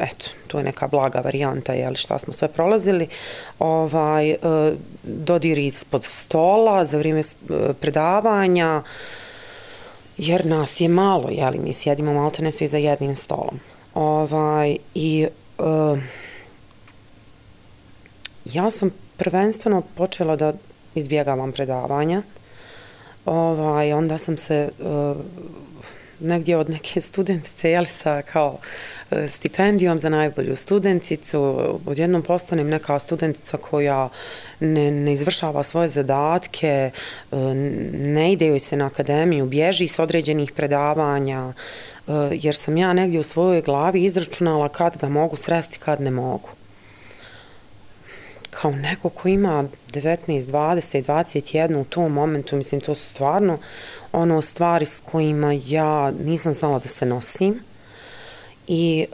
[SPEAKER 2] eto, to je neka blaga varijanta, šta smo sve prolazili, dodiri ispod stola za vrijeme predavanja, jer nas je malo, mi sjedimo maltene svi za jednim stolom. Ja sam prvenstveno počela da izbjegavam predavanja, onda sam se negdje od neke studentice, sa kao stipendijom za najbolju studenticu, odjednom postanem neka studentica koja ne izvršava svoje zadatke, ne ide joj se na akademiju, bježi s određenih predavanja, jer sam ja negdje u svojoj glavi izračunala kad ga mogu sresti, kad ne mogu. Kao neko ko ima 19, 20, 21 u tom momentu, mislim, to su stvarno stvari s kojima ja nisam znala da se nosim. I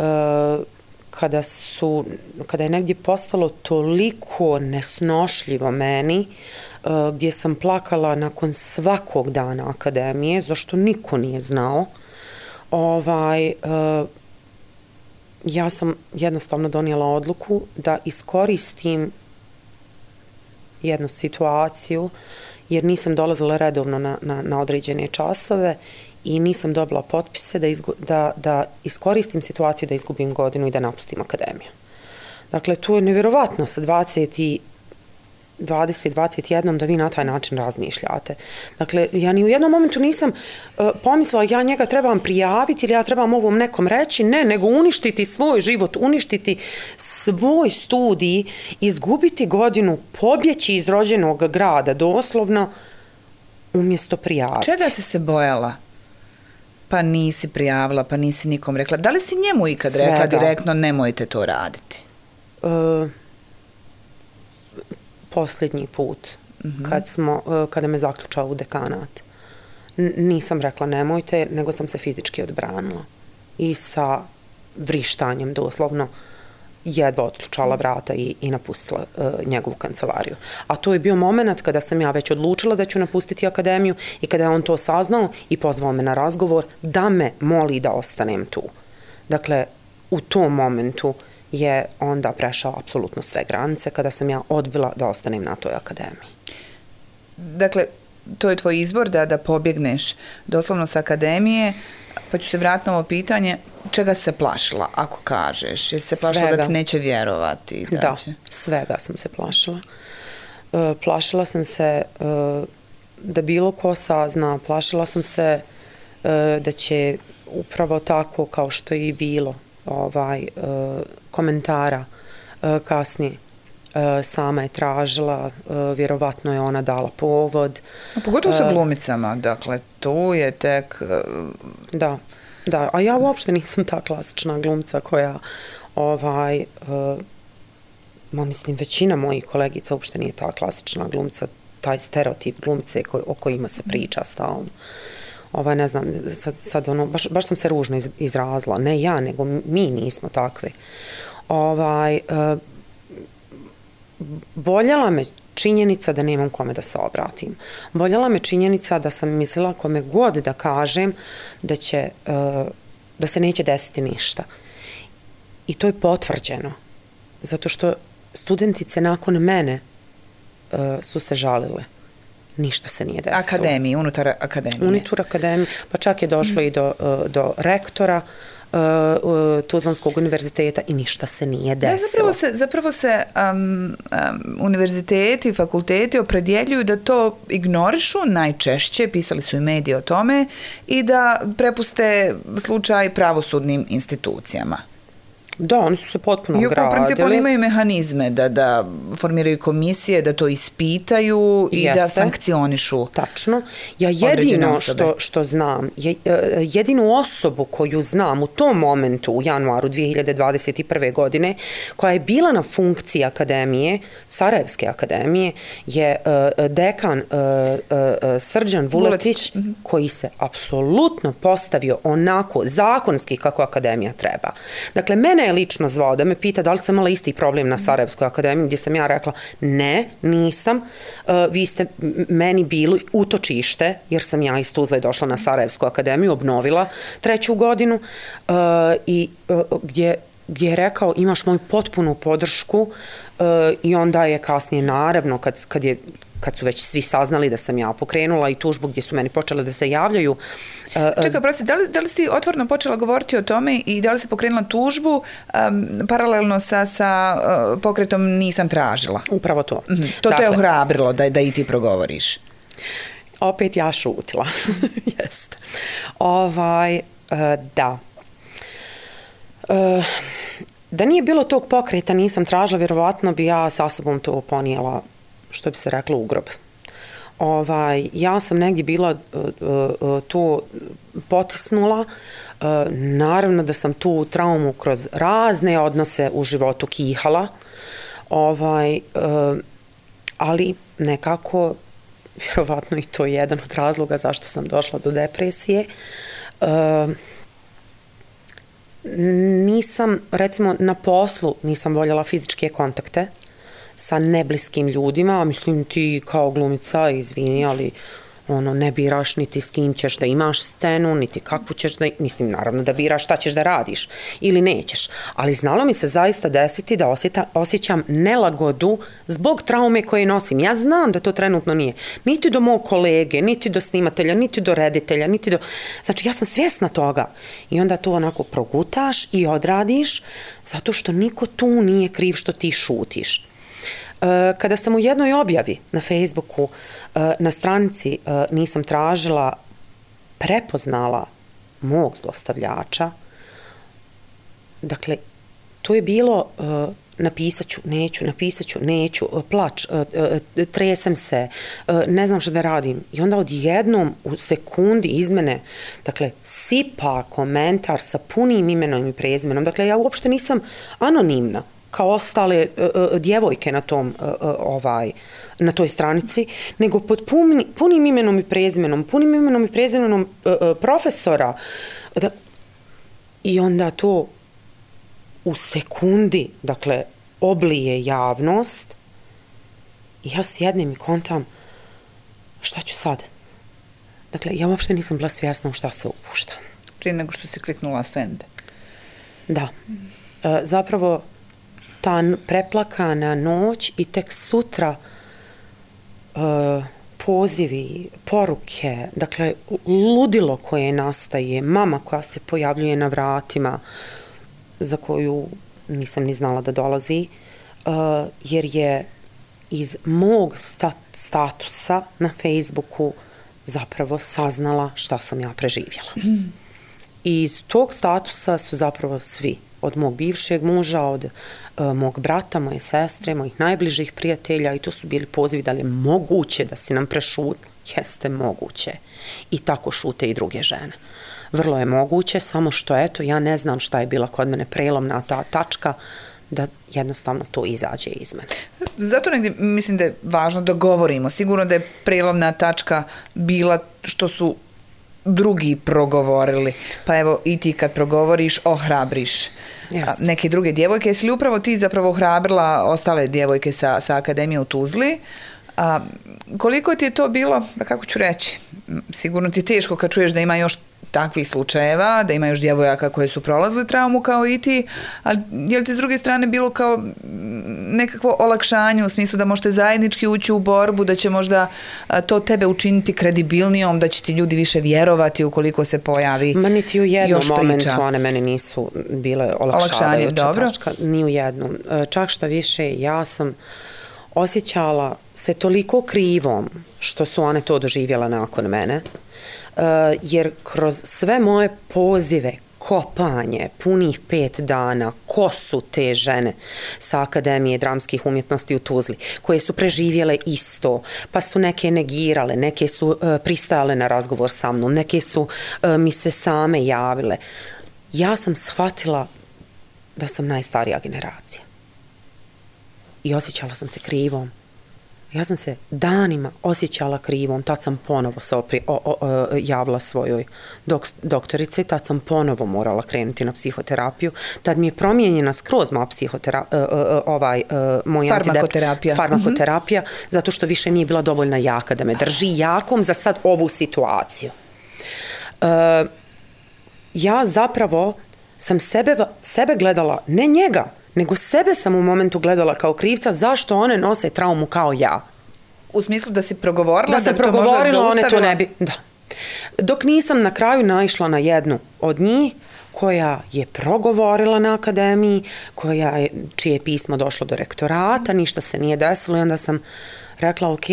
[SPEAKER 2] kada je negdje postalo toliko nesnošljivo meni, gdje sam plakala nakon svakog dana akademije, zašto niko nije znao, ja sam jednostavno donijela odluku da iskoristim jednu situaciju, jer nisam dolazila redovno na određene časove i nisam dobila potpise da iskoristim situaciju da izgubim godinu i da napustim akademiju. Dakle, to je nevjerovatno sa 20-21 da vi na taj način razmišljate. Dakle, ja ni u jednom momentu nisam pomislila ja njega trebam prijaviti ili ja trebam ovom nekom reći, ne, nego uništiti svoj život, uništiti svoj studij, izgubiti godinu, pobjeći iz rođenog grada, doslovno, umjesto prijaviti.
[SPEAKER 1] Čega si se bojala? Pa nisi prijavila, pa nisi nikom rekla. Da li si njemu ikad rekla direktno nemojte to raditi?
[SPEAKER 2] Posljednji put, kada me zaključao u dekanat. Nisam rekla nemojte, nego sam se fizički odbranila. I sa vrištanjem doslovno jedva otključala vrata i napustila njegovu kancelariju. A to je bio moment kada sam ja već odlučila da ću napustiti akademiju i kada je on to saznao i pozvao me na razgovor da me moli da ostanem tu. Dakle, u tom momentu je onda prešao apsolutno sve granice kada sam ja odbila da ostanem na toj akademiji.
[SPEAKER 1] dakle, to je tvoj izbor da pobjegneš doslovno sa akademije, pa ću se vratiti na ovo pitanje, čega se plašila, ako kažeš? Jesi se plašila da ti neće vjerovati?
[SPEAKER 2] Da, svega sam se plašila. Plašila sam se da bilo ko sazna, plašila sam se da će upravo tako kao što je i bilo komentara kasnije. Sama je tražila, vjerovatno je ona dala povod.
[SPEAKER 1] A pogotovo sa glumicama, dakle, tu je tek...
[SPEAKER 2] Da, a ja uopšte nisam ta klasična glumca koja, mislim, većina mojih kolegica uopšte nije ta klasična glumca, taj stereotip glumce o kojima se priča stalno. Ne znam, sad baš sam se ružno izrazila, ne ja, nego mi nismo takvi. Boljela me činjenica da nemam kome da se obratim. Boljela me činjenica da sam mislila kome god da kažem da se neće desiti ništa. I to je potvrđeno. Zato što studentice nakon mene su se žalile. Ništa se nije desilo.
[SPEAKER 1] Akademiji, unutar akademije.
[SPEAKER 2] Unutar akademije, pa čak je došlo i do rektora Tuzlanskog univerziteta i ništa se nije desilo.
[SPEAKER 1] Zapravo se univerziteti, fakulteti opredjeljuju da to ignorišu najčešće, pisali su i mediji o tome, i da prepuste slučaj pravosudnim institucijama.
[SPEAKER 2] Da, oni su se potpuno ogradili.
[SPEAKER 1] U principu oni imaju mehanizme da formiraju komisije, da to ispitaju i da sankcionišu.
[SPEAKER 2] Tačno. Ja jedino što znam, jedinu osobu koju znam u tom momentu, u januaru 2021. godine, koja je bila na funkciji akademije, Sarajevske akademije, je dekan Srđan Vuletić, koji se apsolutno postavio onako zakonski kako akademija treba. Dakle, mene je lično zvao da me pita da li sam imala isti problem na Sarajevskoj akademiji, gdje sam ja rekla ne, nisam, vi ste meni bili utočište, jer sam ja iz Tuzle došla na Sarajevsku akademiju, obnovila 3. godinu i gdje je rekao imaš moju potpunu podršku i onda je kasnije naravno kad su već svi saznali da sam ja pokrenula i tužbu gdje su meni počele da se javljaju.
[SPEAKER 1] Čekaj, prosti, da li si otvoreno počela govoriti o tome i da li si pokrenula tužbu paralelno sa pokretom nisam tražila?
[SPEAKER 2] Upravo to.
[SPEAKER 1] To te ohrabrilo da i ti progovoriš?
[SPEAKER 2] Opet ja šutila. Jeste. Da. Da nije bilo tog pokreta nisam tražila, vjerovatno bi ja sa sobom to ponijela, što bi se reklo, u grob. Ja sam negdje bila to potisnula, naravno da sam tu traumu kroz razne odnose u životu kihala, ali nekako, vjerovatno i to je jedan od razloga zašto sam došla do depresije. Nisam, recimo na poslu nisam voljela fizičke kontakte sa nebliskim ljudima, mislim ti kao glumica, izvini, ali ne biraš niti s kim ćeš da imaš scenu, niti kakvu ćeš da, mislim naravno da biraš šta ćeš da radiš ili nećeš, ali znalo mi se zaista desiti da osjećam nelagodu zbog traume koje nosim. Ja znam da to trenutno nije niti do mog kolege, niti do snimatelja, niti do reditelja, niti do, znači ja sam svjesna toga i onda to onako progutaš i odradiš zato što niko tu nije kriv što ti šutiš. Kada sam u jednoj objavi na Facebooku na stranici nisam tražila, prepoznala mog zlostavljača, dakle, to je bilo napisaću, neću, plač, tresem se, ne znam što da radim. I onda odjednom u sekundi iz mene, dakle, sipa komentar sa punim imenom i prezimenom. Dakle, ja uopšte nisam anonimna kao ostale djevojke na toj stranici, nego pod punim imenom i prezimenom profesora. I onda to u sekundi, dakle, oblije javnost i ja sjednem i kontam šta ću sad? Dakle, ja uopšte nisam bila svjesna u šta se upušta.
[SPEAKER 1] Prije nego što si kliknula send.
[SPEAKER 2] Da. Zapravo, ta preplakana noć i tek sutra pozivi, poruke, dakle, ludilo koje nastaje, mama koja se pojavljuje na vratima, za koju nisam ni znala da dolazi, jer je iz mog statusa na Facebooku zapravo saznala šta sam ja preživjela. I iz tog statusa su zapravo svi, od mog bivšeg muža, od mog brata, moje sestre, mojih najbližih prijatelja, i to su bili pozivi da li je moguće da si nam prešutila. Jeste moguće. I tako šute i druge žene. Vrlo je moguće, samo što eto, ja ne znam šta je bila kod mene prelomna ta tačka, da jednostavno to izađe iz mene.
[SPEAKER 1] Zato negdje mislim da je važno da govorimo. Sigurno da je prelomna tačka bila što su drugi progovorili. Pa evo i ti kad progovoriš, ohrabriš neke druge djevojke. Jesi li upravo ti zapravo ohrabrila ostale djevojke sa Akademije u Tuzli? Koliko ti je to bilo, kako ću reći, sigurno ti je teško kad čuješ da ima još takvih slučajeva, da ima još djevojaka koje su prolazili traumu kao i ti, ali je li ti s druge strane bilo kao nekakvo olakšanje u smislu da možete zajednički ući u borbu, da će možda to tebe učiniti kredibilnijom, da će ti ljudi više vjerovati ukoliko se pojavi još priča?
[SPEAKER 2] Ma niti u jednom momentu one mene nisu bile olakšavajuća tačka, ni u jednom. Čak šta više, ja sam osjećala se toliko krivom što su one to doživjela nakon mene, jer kroz sve moje pozive, kopanje, punih 5 dana, ko su te žene sa Akademije dramskih umjetnosti u Tuzli, koje su preživjele isto, pa su neke negirale, neke su pristajale na razgovor sa mnom, neke su mi se same javile. Ja sam shvatila da sam najstarija generacija. I osjećala sam se krivom. Ja sam se danima osjećala krivom, tad sam ponovo se javila svojoj doktorici, tad sam ponovo morala krenuti na psihoterapiju, tad mi je promijenjena skroz moja farmakoterapija, zato što više nije bila dovoljna jaka da me drži jakom za sad ovu situaciju. Ja zapravo sam sebe gledala, ne njega, nego sebe sam u momentu gledala kao krivca zašto one nose traumu kao ja.
[SPEAKER 1] U smislu da si progovorila?
[SPEAKER 2] Da sam progovorila, one to ne bi... Da. Dok nisam na kraju naišla na jednu od njih koja je progovorila na Akademiji, čije je pismo došlo do rektorata, ništa se nije desilo i onda sam rekla, ok,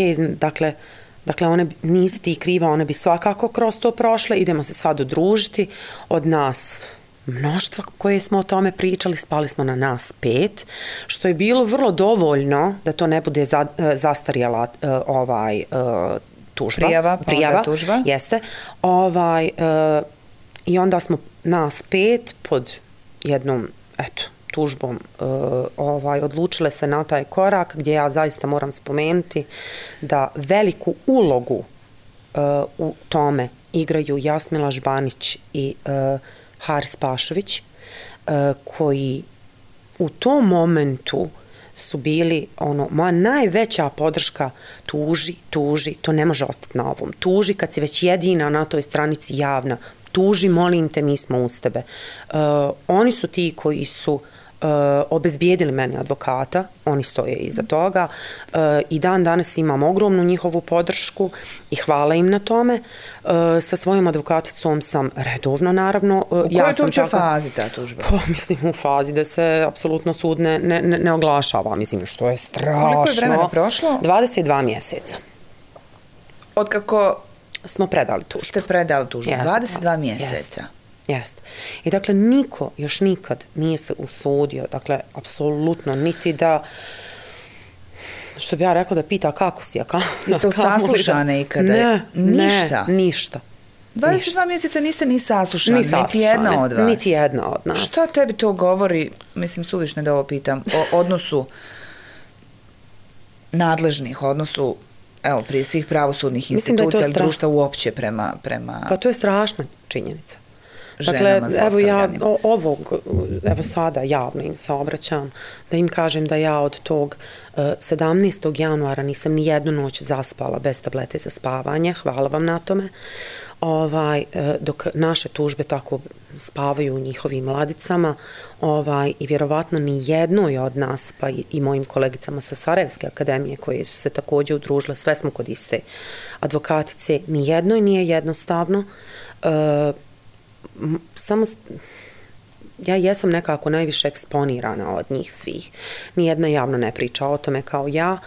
[SPEAKER 2] dakle, one nisi ti kriva, one bi svakako kroz to prošle, idemo se sad udružiti od nas mnoštva koje smo o tome pričali, spali smo na nas 5, što je bilo vrlo dovoljno da to ne bude zastarjela tužba. Prijava,
[SPEAKER 1] tužba.
[SPEAKER 2] Jeste. I onda smo nas 5 pod jednom, tužbom odlučile se na taj korak gdje ja zaista moram spomenuti da veliku ulogu u tome igraju Jasmila Žbanić i Haris Pašović, koji u tom momentu su bili moja najveća podrška, tuži, to ne može ostati na ovom. Tuži kad si već jedina na toj stranici javna, tuži, molim te, mi smo uz tebe. Oni su ti koji su obezbijedili meni advokata, oni stoje iza toga i dan danas imam ogromnu njihovu podršku i hvala im na tome. Sa svojom advokaticom sam redovno, naravno.
[SPEAKER 1] U kojoj to uopće fazi ta tužba?
[SPEAKER 2] Mislim, u fazi da se apsolutno sud ne oglašava, mislim, što je strašno.
[SPEAKER 1] Koliko je vremena prošlo?
[SPEAKER 2] 22 mjeseca.
[SPEAKER 1] Od kako
[SPEAKER 2] smo predali tužbu.
[SPEAKER 1] Ste predali tužbu, 22 mjeseca.
[SPEAKER 2] Jeste. I dakle, niko još nikad nije se usudio, dakle, apsolutno, niti da, što bi ja rekla, da pita kako si,
[SPEAKER 1] jeste li saslušane ikada?
[SPEAKER 2] Ništa.
[SPEAKER 1] 22 mjeseca niste ni saslušani, niti jedna od vas.
[SPEAKER 2] Niti jedna od nas.
[SPEAKER 1] Šta tebi to govori, mislim, suvišno da ovo pitam, o odnosu nadležnih, odnosu, evo, prije svih pravosudnih institucija ili društva uopće prema...
[SPEAKER 2] Pa to je strašna činjenica. Dakle, evo sada javno im se obraćam, da im kažem da ja od tog 17. januara nisam ni jednu noć zaspala bez tablete za spavanje, hvala vam na tome. dok naše tužbe tako spavaju u njihovim ladicama i vjerovatno ni jednoj od nas, pa i mojim kolegicama sa Sarajevske akademije koje su se također udružile, sve smo kod iste advokatice, ni jednoj nije jednostavno. Samo ja jesam nekako najviše eksponirana od njih svih. Nijedna javno ne priča o tome kao ja,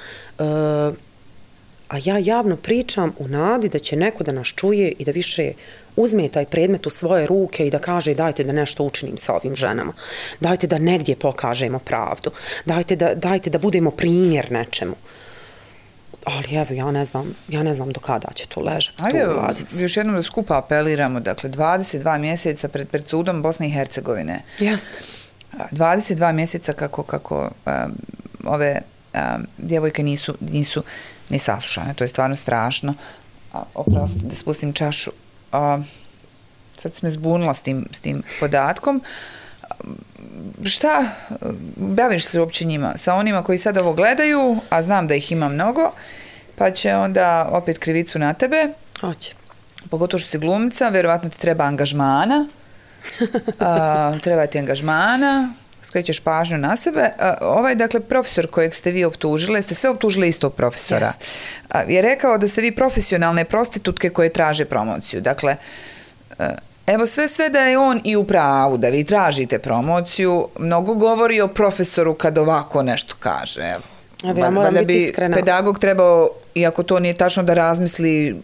[SPEAKER 2] a ja javno pričam u nadi da će neko da nas čuje i da više uzme taj predmet u svoje ruke i da kaže dajte da nešto učinim sa ovim ženama. Dajte da negdje pokažemo pravdu. Dajte da budemo primjer nečemu. Ali evo, ja ne znam do kada će to ležati tu u ladici.
[SPEAKER 1] Ajde, još jednom da skupa apeliramo, dakle, 22 mjeseca pred sudom Bosne i Hercegovine.
[SPEAKER 2] Jeste.
[SPEAKER 1] 22 mjeseca kako ove djevojke nisu ni saslušane, to je stvarno strašno. Oprosti, da spustim čašu. Sad se me zbunila s tim podatkom. Šta, baviš se uopće njima? Sa onima koji sad ovo gledaju, a znam da ih ima mnogo, pa će onda opet krivicu na tebe.
[SPEAKER 2] Hoće.
[SPEAKER 1] Pogotovo što si glumica, vjerovatno ti treba angažmana. Treba ti angažmana, skrećeš pažnju na sebe. Dakle, profesor kojeg ste vi optužili, ste sve optužili istog profesora, je rekao da ste vi profesionalne prostitutke koje traže promociju. Dakle, evo sve da je on i u pravu, da vi tražite promociju, mnogo govori o profesoru kad ovako nešto kaže.
[SPEAKER 2] Evo, ja moram biti iskrena.
[SPEAKER 1] Pedagog trebao, iako to nije tačno, da razmisli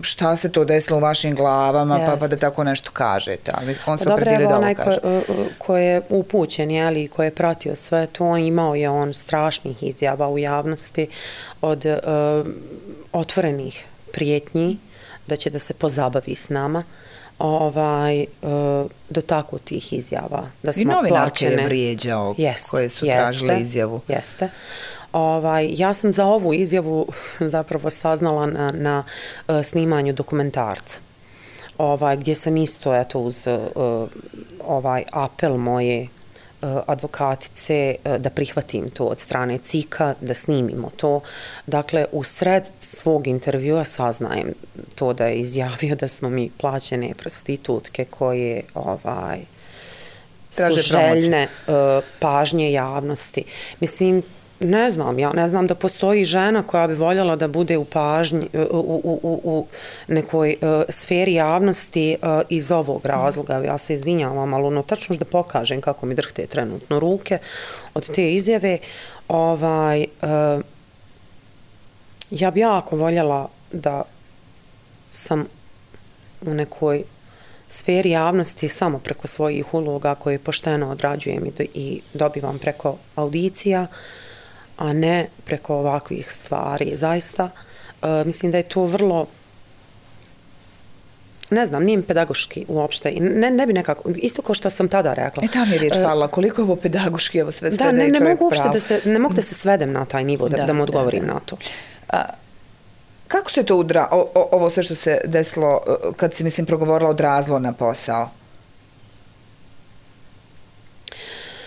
[SPEAKER 1] šta se to desilo u vašim glavama, pa da tako nešto kažete. Ali on se opredelio da ovo kaže.
[SPEAKER 2] Ko je upućen, i ko je pratio sve to, imao je on strašnih izjava u javnosti od otvorenih prijetnji da će da se pozabavi s nama, do tako tih izjava. Da smo
[SPEAKER 1] i novinarke je vrijeđao koje su tražile izjavu.
[SPEAKER 2] Jeste. Ja sam za ovu izjavu zapravo saznala na snimanju dokumentarca, gdje sam isto uz apel moje advokatice da prihvatim to od strane CIK-a, da snimimo to. Dakle, u sred svog intervjua saznajem to da je izjavio da smo mi plaćene prostitutke koje su željne pažnje javnosti. Mislim, ja ne znam da postoji žena koja bi voljela da bude u pažnji, u nekoj sferi javnosti iz ovog razloga. Ja se izvinjavam, ali tačno da pokažem kako mi drhte trenutno ruke od te izjave. Ja bi jako voljela da sam u nekoj sferi javnosti samo preko svojih uloga koje pošteno odrađujem i dobivam preko audicija, a ne preko ovakvih stvari. Zaista, mislim da je to vrlo, ne znam, nije mi pedagoški uopšte. Ne bi nekako, isto kao što sam tada rekla.
[SPEAKER 1] Tam je riječ hvala, koliko je ovo pedagoški, ovo sve da je čovjek pravo.
[SPEAKER 2] Ne mogu da se svedem na taj nivo, da mu odgovorim na to.
[SPEAKER 1] Kako se to ovo sve što se desilo, kad si, mislim, progovorila odrazilo na posao?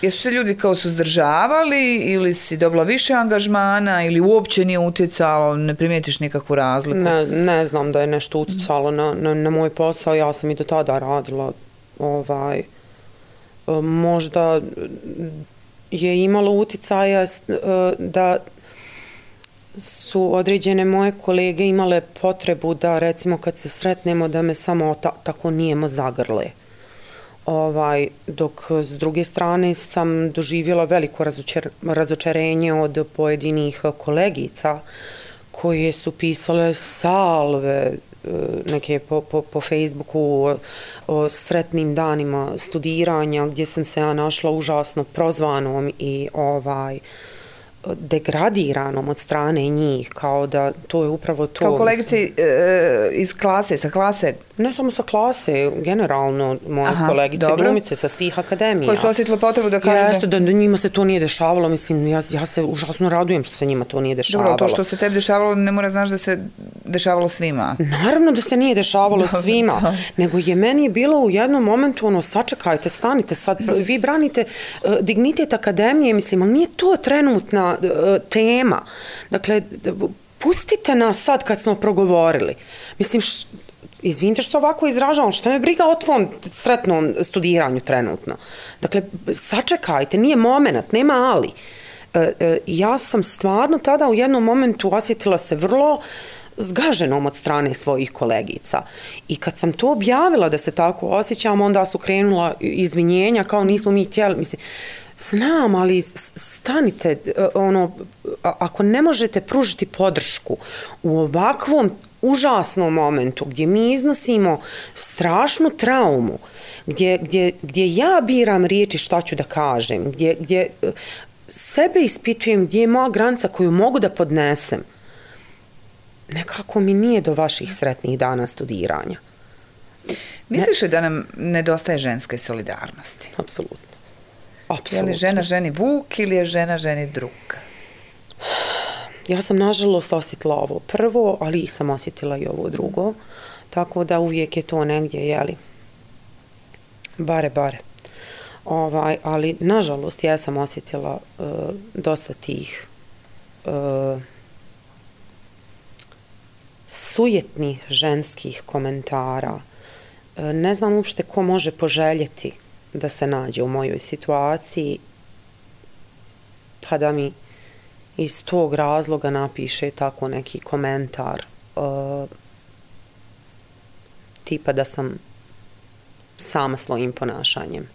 [SPEAKER 1] Jesu se ljudi kao suzdržavali ili si dobila više angažmana ili uopće nije utjecalo, ne primijetiš nikakvu razliku?
[SPEAKER 2] Ne znam da je nešto utjecalo na moj posao, ja sam i do tada radila. Možda je imalo utjecaja da su određene moje kolege imale potrebu da, recimo, kad se sretnemo, da me samo tako nijemo zagrle. Dok s druge strane sam doživjela veliko razočarenje od pojedinih kolegica koje su pisale salve neke po Facebooku o sretnim danima studiranja, gdje sam se ja našla užasno prozvanom i degradiranom od strane njih, kao da to je upravo to.
[SPEAKER 1] Kao kolegice iz klase, sa klase?
[SPEAKER 2] Ne samo sa klase, generalno moje kolegice, glumice sa svih akademija.
[SPEAKER 1] Koji su osjetile potrebu da kažu
[SPEAKER 2] jeste, da njima se to nije dešavalo, mislim, ja se užasno radujem što se njima to nije dešavalo.
[SPEAKER 1] Dobro, to što se tebi dešavalo ne mora znaš da se dešavalo svima.
[SPEAKER 2] Naravno da se nije dešavalo svima, nego je meni bilo u jednom momentu sačekajte, stanite sad, vi branite dignitet akademije, mislim, ali nije to trenutna tema. Dakle, pustite nas sad kad smo progovorili. Mislim, izvinite što ovako izražavam, što me briga o tvom sretnom studiranju trenutno. Dakle, sačekajte, nije moment, nema ali. Ja sam stvarno tada u jednom momentu osjetila se vrlo zgaženom od strane svojih kolegica. I kad sam to objavila da se tako osjećam, onda su krenula izvinjenja kao nismo mi htjeli. Mislim, znam, ali stanite, ako ne možete pružiti podršku u ovakvom užasnom momentu gdje mi iznosimo strašnu traumu, gdje ja biram riječi šta ću da kažem, gdje sebe ispitujem gdje je moja granica koju mogu da podnesem, nekako mi nije do vaših sretnih dana studiranja.
[SPEAKER 1] Misliš li da nam nedostaje ženske solidarnosti?
[SPEAKER 2] Apsolutno.
[SPEAKER 1] Je li žena ženi vuk ili je žena ženi drug?
[SPEAKER 2] Ja sam nažalost osjetila ovo prvo, ali sam osjetila i ovo drugo. Tako da uvijek je to negdje, jeli, bare. Ali nažalost ja sam osjetila dosta tih sujetnih ženskih komentara. Ne znam uopšte ko može poželjeti da se nađe u mojoj situaciji, pa da mi iz tog razloga napiše tako neki komentar, tipa da sam sama svojim ponašanjem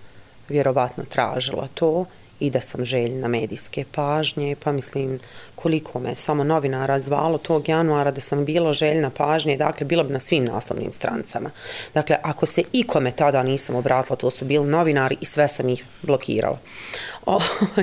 [SPEAKER 2] vjerovatno tražila to i da sam željna medijske pažnje, pa mislim koliko me samo novinara zvalo tog januara da sam bila željna pažnje, dakle bilo bi na svim naslovnim strancama. Dakle, ako se ikome tada nisam obratila, to su bili novinari i sve sam ih blokirala.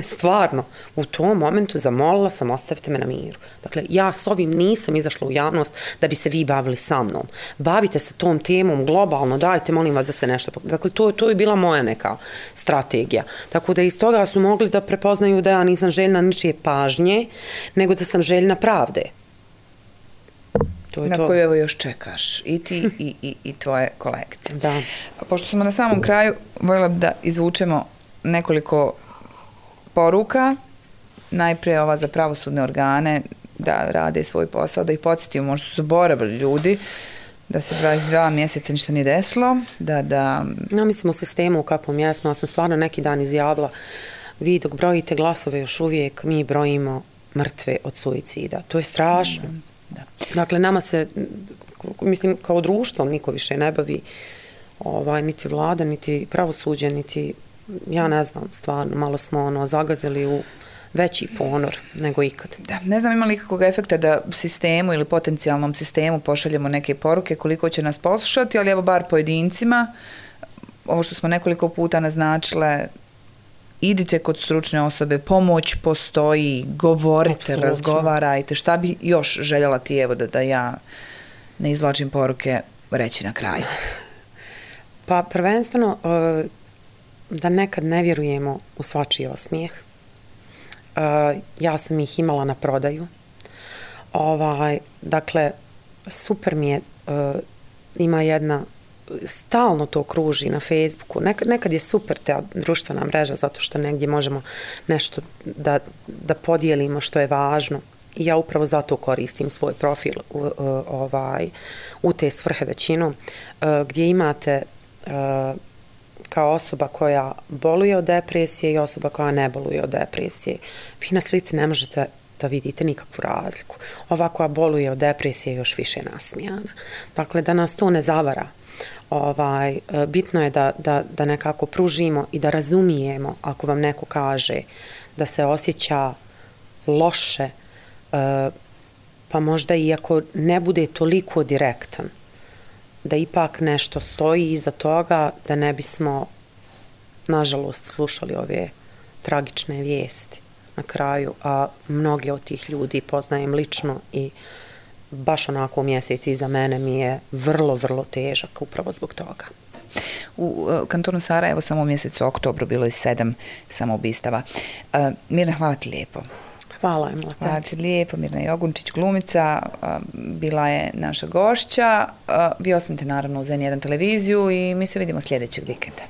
[SPEAKER 2] Stvarno, u tom momentu zamolila sam ostavite me na miru. Dakle, ja s ovim nisam izašla u javnost da bi se vi bavili sa mnom. Bavite se tom temom globalno, dajte molim vas da se nešto... Dakle, to je bila moja neka strategija. Tako da iz toga su mogli da prepoznaju da ja nisam željna ničije pažnje, nego da sam željna pravde.
[SPEAKER 1] Na koju evo još čekaš i ti i tvoje kolegice.
[SPEAKER 2] Da.
[SPEAKER 1] Pošto smo na samom kraju, voljela bi da izvučemo nekoliko poruka. Najprije ova za pravosudne organe da rade svoj posao, da ih podsjetimo, možda su zaboravili ljudi, da se 22 mjeseca ništa nije desilo, da...
[SPEAKER 2] No, mislim u sistemu u kakvom jesmo, ja sam stvarno neki dan izjavila, vi dok brojite glasove još uvijek, mi brojimo mrtve od suicida. To je strašno.
[SPEAKER 1] Da.
[SPEAKER 2] Dakle, nama se, mislim, kao društvo niko više ne bavi, niti vlada, niti pravosuđe, niti, ja ne znam, stvarno, malo smo zagazili u veći ponor nego ikad.
[SPEAKER 1] Da, ne znam ima li kakvog efekta da sistemu ili potencijalnom sistemu pošaljemo neke poruke koliko će nas poslušati, ali evo bar pojedincima, ovo što smo nekoliko puta naznačile, idite kod stručne osobe, pomoć postoji, govorite,
[SPEAKER 2] Absolutno.
[SPEAKER 1] Razgovarajte. Šta bi još željela ti, evo, da ja ne izvlačim poruke reći na kraju?
[SPEAKER 2] Pa prvenstveno da nekad ne vjerujemo u svačiji osmijeh. Ja sam ih imala na prodaju. Dakle, super mi je, ima jedna, stalno to kruži na Facebooku. Nekad je super ta društvena mreža zato što negdje možemo nešto da podijelimo što je važno. I ja upravo zato koristim svoj profil u te svrhe većinu, gdje imate kao osoba koja boluje od depresije i osoba koja ne boluje od depresije. Vi na slici ne možete da vidite nikakvu razliku. Ova koja boluje od depresije je još više nasmijana. Dakle, da nas to ne zavara. Bitno je da nekako pružimo i da razumijemo ako vam neko kaže da se osjeća loše, pa možda i ako ne bude toliko direktan, da ipak nešto stoji iza toga, da ne bismo, nažalost, slušali ove tragične vijesti na kraju, a mnogi od tih ljudi poznajem lično i baš onako mjesec iza mene mi je vrlo, vrlo težak upravo zbog toga.
[SPEAKER 1] U kantonu Sarajevo samo u mjesecu oktobru bilo je 7 samoubistava. Mirna, hvala ti lijepo.
[SPEAKER 2] Hvala, Emila.
[SPEAKER 1] Hvala ti lijepo. Mirna Jogunčić, glumica, bila je naša gošća. Vi ostanite naravno u N1 televiziju i mi se vidimo sljedećeg vikenda.